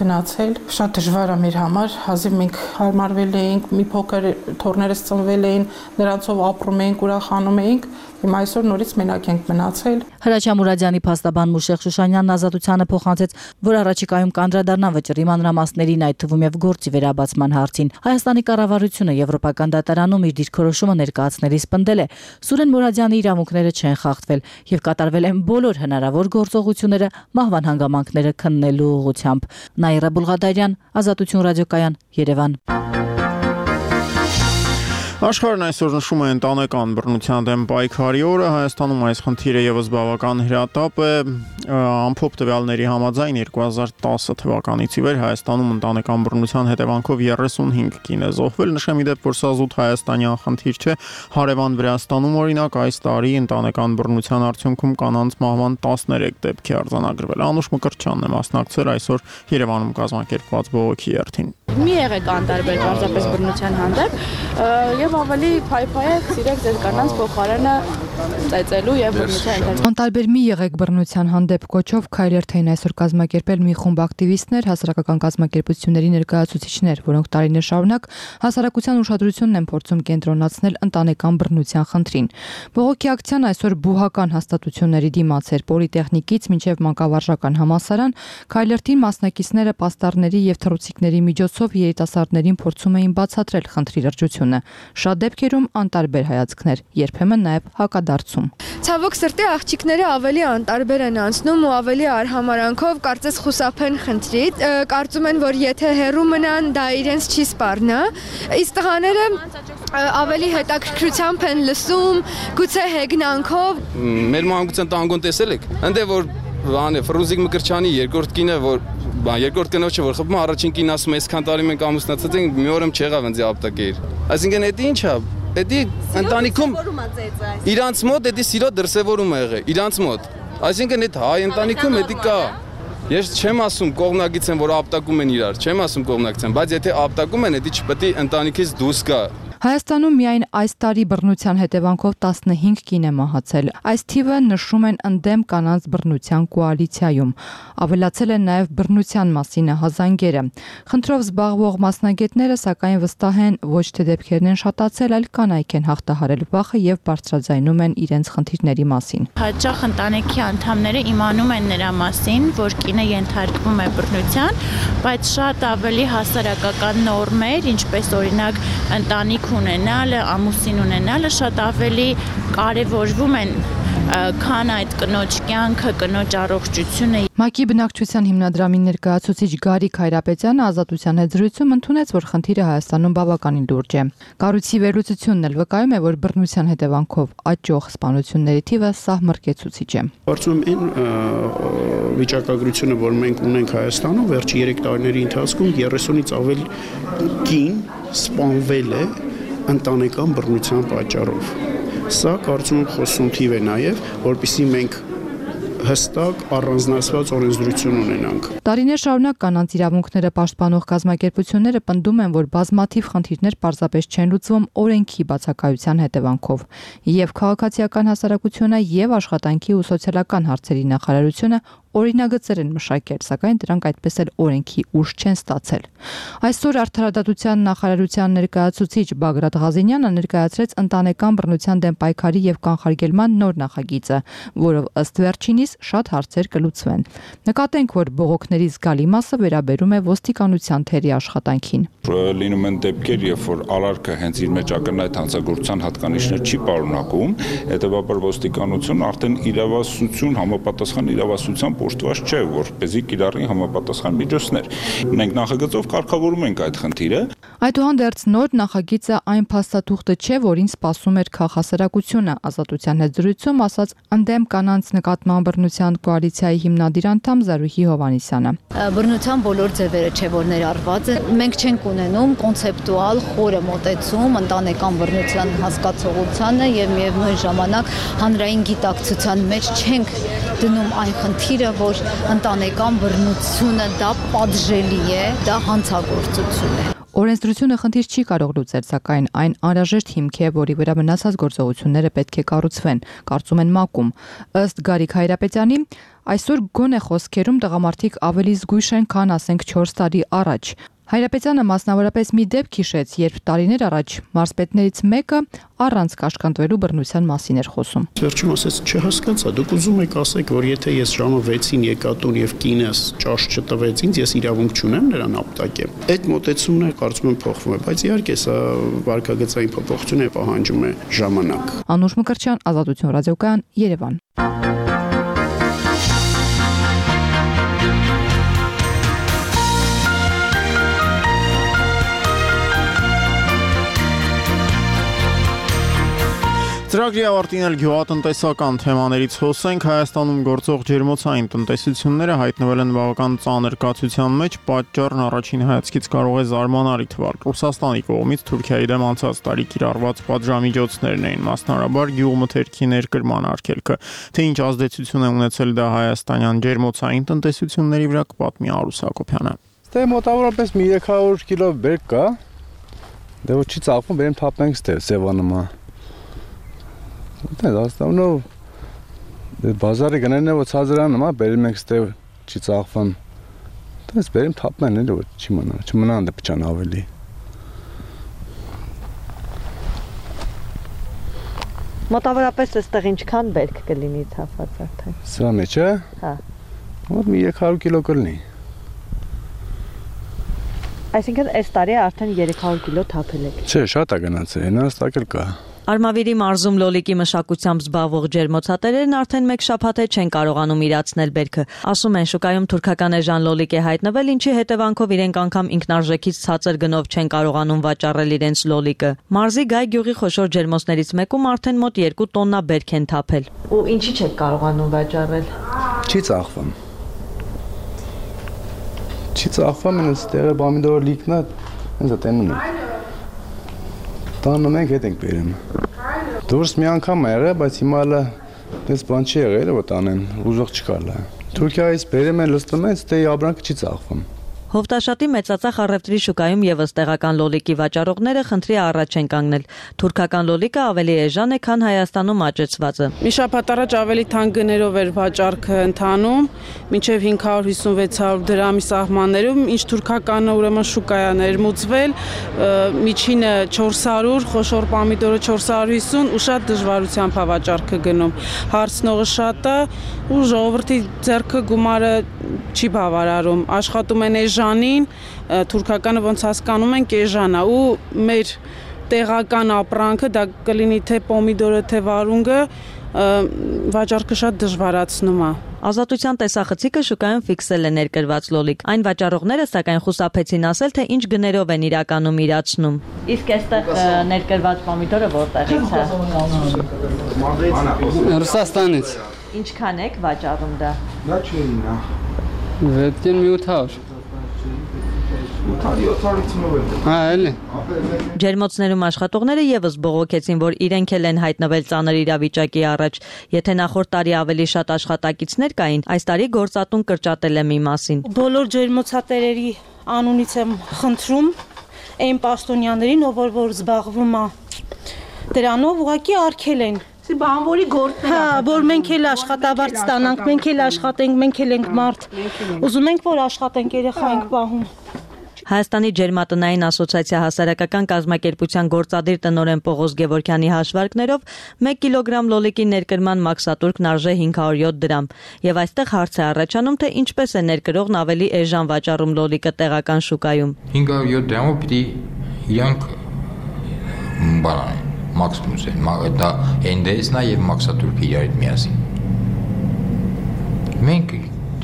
Speaker 7: գնացել շատ դժվար է մեր համար հազիվ մենք հարմարվել էինք մի փոքր թորներս ծնվել էին նրանցով ապրում էինք ուրախանում էինք հիմա այսօր նորից մենակ ենք մնացել
Speaker 8: Հրաչյա Մուրադյանի փաստաբան Մուշեղ Շուշանյանն ազատությանը փոխանցեց որ առաջիկայում կանդրադառնա վճռի մանրամասներին այդ թվում եւ գործի վերաբացման հարցին Հայաստանի կառավարությունը Եվրոպական դատարանում իր դիրքորոշումը ներկայացնելիս պնդել է Սուրեն Մուրադյանի իրավունքները չեն խախտվել եւ կատարվել են բոլոր հնարավոր գործողությունները մահվան հանգամանքները քննելու ուղղությամբ Նաիրա Բուլղադարյան, Ազատություն ռադիոկայան, Երևան
Speaker 1: Աշխարհն այսօր նշում է ընտանեկան բռնության դեմ պայքարի օրը, Հայաստանում այս խնդիրը եւս բավական հրատապ է, ամփոփ տվյալների համաձայն երկու հազար տասը թվականից ի վեր Հայաստանում ընտանեկան բռնության հետևանքով երեսունհինգ կին է զոհվել, նշեմ իդեպ, որ սա զուտ հայաստանյան խնդիր չէ, հարևան Վրաստանում օրինակ այս տարի ընտանեկան բռնության արդյունքում կանանց մահվան տասներեք դեպք է արձանագրվել։ Անուշ Մկրտչյանն է մասնակցել այսօր Երևանում կազմակերպված բողոքի երթին։
Speaker 10: Մի եղեք անտարբեր պարզապես բռնության հանդեպ եւ ավելի փայփայեք սիրեք ձեր կանանց փոխարենը ծեծելու եւ բռնության ընթացքում
Speaker 20: Անտարբեր մի եղեք բռնության հանդեպ կոչով քայլերթային այսօր կազմակերպել մի խումբ ակտիվիստներ, հասարակական կազմակերպությունների ներկայացուցիչներ, որոնք տարիներ շարունակ հասարակության ուշադրությունն են փորձում կենտրոնացնել ընտանեկան բռնության խնդրին։ Բողոքի ակցիան այսօր բուհական հաստատությունների դիմաց էր Պոլիտեխնիկից մինչև Մանկավարժական համալսարան, քայլերթին մասնակիցները պաստառների եւ թռուցիկների միջոցով երիտասարդներին փորձում էին բացատրել խնդրի լրջությունը։ Շատ դեպքերում անտարբեր հայացքներ, երբեմն նաև հակադարձում։
Speaker 12: Ցավոք սրտի աղջիկները ավելի անտարբեր են անցնում ու ավելի արհամարանքով կարծես խուսափեն խնդրից, կարծում են, որ եթե հեռու մնան, դա իրենց չի սպառնա։ Իսկ տղաները ավելի հետաքրքրությամբ են լսում, գուցե հեգնանքով։
Speaker 25: Մեր մանկության տանգոն տեսել եք, ընդ որ բանը Ֆրունզիկ Մկրտչյանի երկրորդ կինը, որ երկրորդ կնոջը որ խփում առաջին կին ասում է այսքան տարի մենք ամուսնացած ենք մի օրը չեղավ ինձ ապտակեր այսինքն դա ի՞նչ է դա ընտանիքում իրանց մոտ դա սիրո դրսևորում է եղել իրանց մոտ այսինքն այդ հայ ընտանիքում դա կա ես չեմ ասում կողմնակից են որ ապտակում են իրար չեմ ասում կողմնակից են բայց եթե ապտակում են դա չպետք է ընտանիքից դուրս գա
Speaker 20: Հայաստանում միայն այս տարի բռնության հետևանքով տասնհինգ կին է մահացել։ Այս թիվը նշում են ընդդեմ կանանց բռնության կոալիցիայում։ Ավելացել են նաև բռնության մասին հազանգերը։ Խնդրով զբաղվող մասնագետները սակայն վստահ են, ոչ թե դեպքերն են շատացել, այլ կանայք են հաղթահարել վախը եւ բարձրաձայնում են իրենց խնդիրների մասին։
Speaker 26: Հաճախ ընտանիքի անդամները իմանում են նրա մասին, որ կինը ենթարկվում է բռնության, բայց շատ ավելի հասարակական նորմեր, ինչպես օրինակ ընտանիք ունենալը, ամուսին ունենալը շատ ավելի կարևորվում են, քան այդ կնոջ կյանքը, կնոջ առողջությունը։
Speaker 20: ՄԱԿ-ի բնակչության հիմնադրամի ներկայացուցիչ Գարիկ Հայրապետյանը Ազատության հետ զրույցում ընդունեց, որ խնդիրը Հայաստանում բավականին լուրջ է։ Կառույցի վերլուծությունն էլ վկայում է, որ բռնության հետևանքով աճող սպանությունների թիվը սահմռկեցուցիչ է։
Speaker 27: Կարծում եմ այն վիճակագրությունը, որ մենք ունենք Հայաստանում, վերջի երեք տարիների ընթացքում երեսունից ավել կին սպանվել է ընտանեկան բռնության պատճառով։ Սա կարծում եմ խոսուն թիվ է նաև, որպեսզի մենք հստակ առանձնացված օրենսդրություն ունենանք։
Speaker 20: Տարիներ շարունակ կանանց իրավունքները պաշտպանող կազմակերպությունները պնդում են, որ բազմաթիվ խնդիրներ պարզապես չեն լուծվում օրենքի բացակայության հետևանքով։ Եվ քաղաքացիական հասարակությունը, եւ աշխատանքի ու սոցիալական հարցերի նախարարությունը
Speaker 13: օրինագծեր են մշակել, սակայն դրանք այդպես էլ օրենքի ուժ չեն ստացել։ Այսօր Արդարադատության նախարարության ներկայացուցիչ Բագրատ Ղազինյանը ներկայացրեց ընտանեկան բռնության դեմ պայքարի եւ կանխարգելման նոր նախագիծը, որով ըստ վերջինիս շատ հարցեր կլուծվեն։ Նկատենք, որ բողոքների զգալի մասը վերաբերում է ոստիկանության թերի աշխատանքին։
Speaker 14: Լինում են դեպքեր, երբ որ արարքը հենց իր մեջ ակնհայտ հանցագործության հատկանիշներ չի պարունակում, հետևաբար ոստիկանությունը արդեն իրավասություն համապատասխան իրավասության պոշտված չէ, որպեսզի կիրառի համապատասխան միջոցներ։ Մենք նախագծով կարգավորում ենք այդ խնդիրը։
Speaker 13: Այդուհանդերձ նոր նախագիծը այն փաստաթուղթը չէ, որին սպասում էր քաղաքասարակությունը, Ազատության հետ զրույցում ասաց ընդդեմ կանանց նկատմամբ բռնության կոալիցիայի հիմնադիր անդամ Զարուհի Հովհաննիսյանը։
Speaker 15: Բռնության բոլոր ձևերը չէ, որ ներառված են։ Մենք չենք ունենում կոնցեպտուալ խորը մոտեցում ընտանեկան բռնության հասկացողությանը եւ միևնույն ժամանակ հանրային գիտակցության մեջ չենք դնում այն խնդիրը, որ ընտանեկան բռնությունը դա պատժելի է, դա հանցագործություն է։
Speaker 13: Օրենսդրությունը խնդիր չի կարող լուծել, սակայն այն անհրաժեշտ հիմք է, որի վրա մնացած գործողությունները պետք է կառուցվեն, կարծում են ՄԱԿ-ում։ Ըստ Գարիկ Հայրապետյանի, այսօր գոնե խոսքերում տղամարդիկ ավելի զգույշ են, քան ասենք չորս տարի առաջ։ Հայրապետյանը մասնավորապես մի դեպք հիշեց, երբ տարիներ առաջ մարզպետներից մեկը առանց կաշկանդվելու բռնության մասին էր խոսում։
Speaker 27: Վերջում ասեց, չհասկացա, դուք ուզում եք ասեք, որ եթե ես ժամը վեցին եկա տուն եւ կինս ճաշ չտվեց ինձ, ես իրավունք չունեմ նրան ապտակեմ։ Այդ մոտեցումն է, կարծում եմ, փոխվում է, բայց իհարկե սա վարկագծային փոփոխություն է, պահանջում է ժամանակ։
Speaker 13: Անուշ Մկրտչյան, Ազատություն ռադիոկայան, Երևան։
Speaker 1: Ծրագրի ավարտին էլ գյուղատնտեսական թեմաներից խոսենք։ Հայաստանում գործող ջերմոցային տնտեսությունները հայտնվել են բավական ծանր կացության մեջ, պատճառն առաջին հայացքից կարող է զարմանալի թվալ։ Ռուսաստանի կողմից Թուրքիայի դեմ անցած տարի կիրառված պատժամիջոցներն էին, մասնավորաբար գյուղմթերքի ներկրման արգելքը։ Թե ինչ ազդեցություն է ունեցել դա հայաստանյան ջերմոցային տնտեսությունների վրա, կպատմի Արուս Հակոբյանը։
Speaker 16: Դե մոտավորապես մի երեք հարյուր կիլո բերք կա։ Դե ոչ չի ծաղկում, բերեմ թափենք ստե Սևանումա։ Դա դաստանո բազարի գներն է որ ցածրան նոմա բերում ենք ստե չի ծաղկվում։ Դες բերեմ թափնեն էլ որ չի մնա, չմնա անդե փչան ավելի։
Speaker 17: Մոտավորապես այստեղ ինչքան բերք կլինի թափված արդեն։
Speaker 16: Սա մեջ է։
Speaker 17: Հա։
Speaker 16: Մոտ մի երեք հարյուր կիլո կլինի։
Speaker 17: Այսինքն այս տարի արդեն երեք հարյուր կիլո թափել եք։
Speaker 16: Չէ, շատ է գնացել, հենաստակել կա։
Speaker 8: Արմավիրի մարզում լոլիկի մշակությամբ զբաղվող ջերմոցատերերն արդեն մեկ շաբաթ է չեն կարողանում իրացնել բերքը։ Ասում են, շուկայում թուրքական էժան լոլիկ է հայտնվել, ինչի հետևանքով իրենք անգամ ինքնարժեքից ցածր գնով չեն կարողանում վաճառել իրենց լոլիկը։ Մարզի Գայ գյուղի խոշոր ջերմոցներից մեկում արդեն մոտ երկու տոննա բերք են թափել։
Speaker 17: Ու ինչի չեք կարողանում վաճառել։
Speaker 16: Չի ծաղկվում։ Չի ծաղկվում, ինձ տեղը պոմիդոր լիքն է, ինձ տենում է։ Տանը մենք հետ ենք բերում։ Դուրս մի անգամ է եղել, բայց հիմա հələ դες բան չի եղել, որ տանեն, ուժող չկա լա։ Թուրքիայից բերում են, լստում են, ստե ապրանքը չի ծաղկվում։
Speaker 8: Հովտաշատի մեծածախ առևտրի շուկայում եւս տեղական լոլիկի վաճառողները խնդրի առաջ են կանգնել։ Թուրքական լոլիկը ավելի էժան է, քան Հայաստանում աճեցվածը։
Speaker 18: Մի շաբաթ առաջ ավելի թանկ գներով էր վաճառքը ընթանում, մինչև հինգ հարյուր հիսուն-վեց հարյուր դրամի սահմաններում, ինչ թուրքականը ուրեմն շուկա է ներմուծվել, միջինը չորս հարյուր, խոշոր պոմիդորը չորս հարյուր հիսուն ու շատ դժվարությամբ է վաճառքը գնում։ Հարցնողը շատ է ու ժողովրդի ձեռքը գումարը չի բավարարում, աշխատում են էժանին, թուրքականը ոնց հասկանում ենք էժան է ու մեր տեղական ապրանքը, դա կլինի թե պոմիդորը, թե վարունգը, վաճառքը շատ դժվարացնում է։
Speaker 8: Ազատության տեսախցիկը շուկայում ֆիքսել է ներկրված լոլիկ։ Այն վաճառողները սակայն խուսափեցին ասել, թե ինչ գներով են իրականում իրացնում։
Speaker 17: Իսկ այստեղ ներկրված պոմիդորը որտեղից է։
Speaker 19: Ռուսաստանից։
Speaker 17: Ինչքան եք վաճառում դա։
Speaker 19: Դա չի նա։ Վետքեն մի ութ հարյուր։ Հա, էլի։
Speaker 8: Ջերմոցներում աշխատողները եւս բողոքեցին, որ իրենք էլ են հայտնվել ծանր իրավիճակի առաջ։ Եթե նախորդ տարի ավելի շատ աշխատակիցներ կային, այս տարի գործատուն կրճատել է մի մասին։
Speaker 28: Բոլոր ջերմոցատերերի անունից եմ խնդրում այն պաշտոնյաներին, ով որ զբաղվում է դրանով, ուղղակի արգել են։ բանվորի գործն է։ Հա, որ մենք էլ աշխատավարձ ստանանք, մենք էլ աշխատենք, մենք էլ ենք մարդ։ Ուզում ենք, որ աշխատենք, երեխա ենք պահում։
Speaker 2: Հայաստանի ջերմատնային ասոցիացիա հասարակական կազմակերպության գործադիր տնօրեն Պողոս Գևորգյանի հաշվարկներով մեկ կիլոգրամ լոլիկի ներկրման մաքսատուրքն արժե հինգ հարյուր յոթ դրամ, եւ այստեղ հարց է առաջանում, թե ինչպես է ներկրողն ավելի էժան վաճառում լոլիկը տեղական շուկայում։
Speaker 3: հինգ հարյուր յոթ դրամով պիտի իրանք բանան մաքսիմուս են, դա էն դեսն է եւ մաքսատուրքը իրար հետ միասին։ Մենք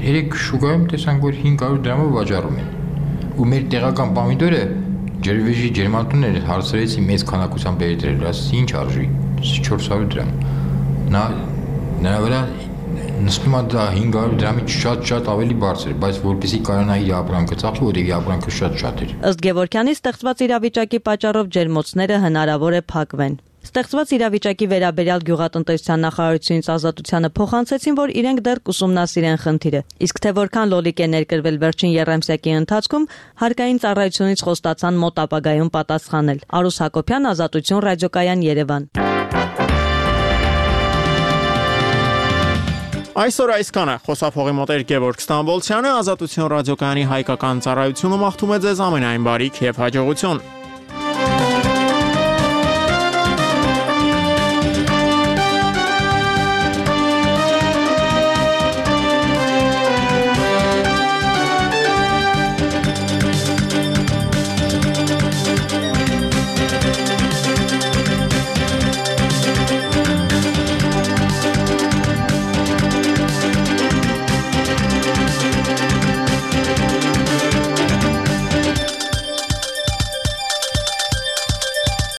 Speaker 3: երեք շուկայում տեսանք, որ հինգ հարյուր դրամով վաճառում են։ Ու մեր տեղական պամիդորը ջրվեժի ջերմատունները հարցրեցի մեծ քանակությամբ բերի դրել, ասի ինչ արժի, չորս հարյուր դրամ։ Նա նրա վրա նստում է դա հինգ հարյուր դրամից շատ-շատ ավելի բարձր, բայց որպեսզի կարողանա իր ապրանքը ծախսի, որտեղ իր ապրանքը շատ-շատ էր։
Speaker 2: Ըստ Գևորգյանի ստեղծված իրավիճակի պատճառով ջերմոցները հնարավոր է փակվեն։ Ստեղծված իրավիճակի վերաբերյալ գյուղատնտեսության նախարարությունից Ազատությանը փոխանցեցին, որ իրենք դեռ կուսումնասիրեն խնդիրը։ Իսկ թե որքան լոլիկ է ներկրվել վերջին եռամսյակի ընթացքում, հարկային ծառայությունից խոստացան մոտ ապագայում պատասխանել։ Արուս Հակոբյան, Ազատություն, ռադիոկայան, Երևան։
Speaker 1: Այսօր այսքանը խոսափողի մոտ էր Գևորգ Ստամբոլցյանը, Ազատություն ռադիոկայանի հայկական ծառայությունը մաղթում է ձեզ ամենայն բարիք եւ հաջողություն։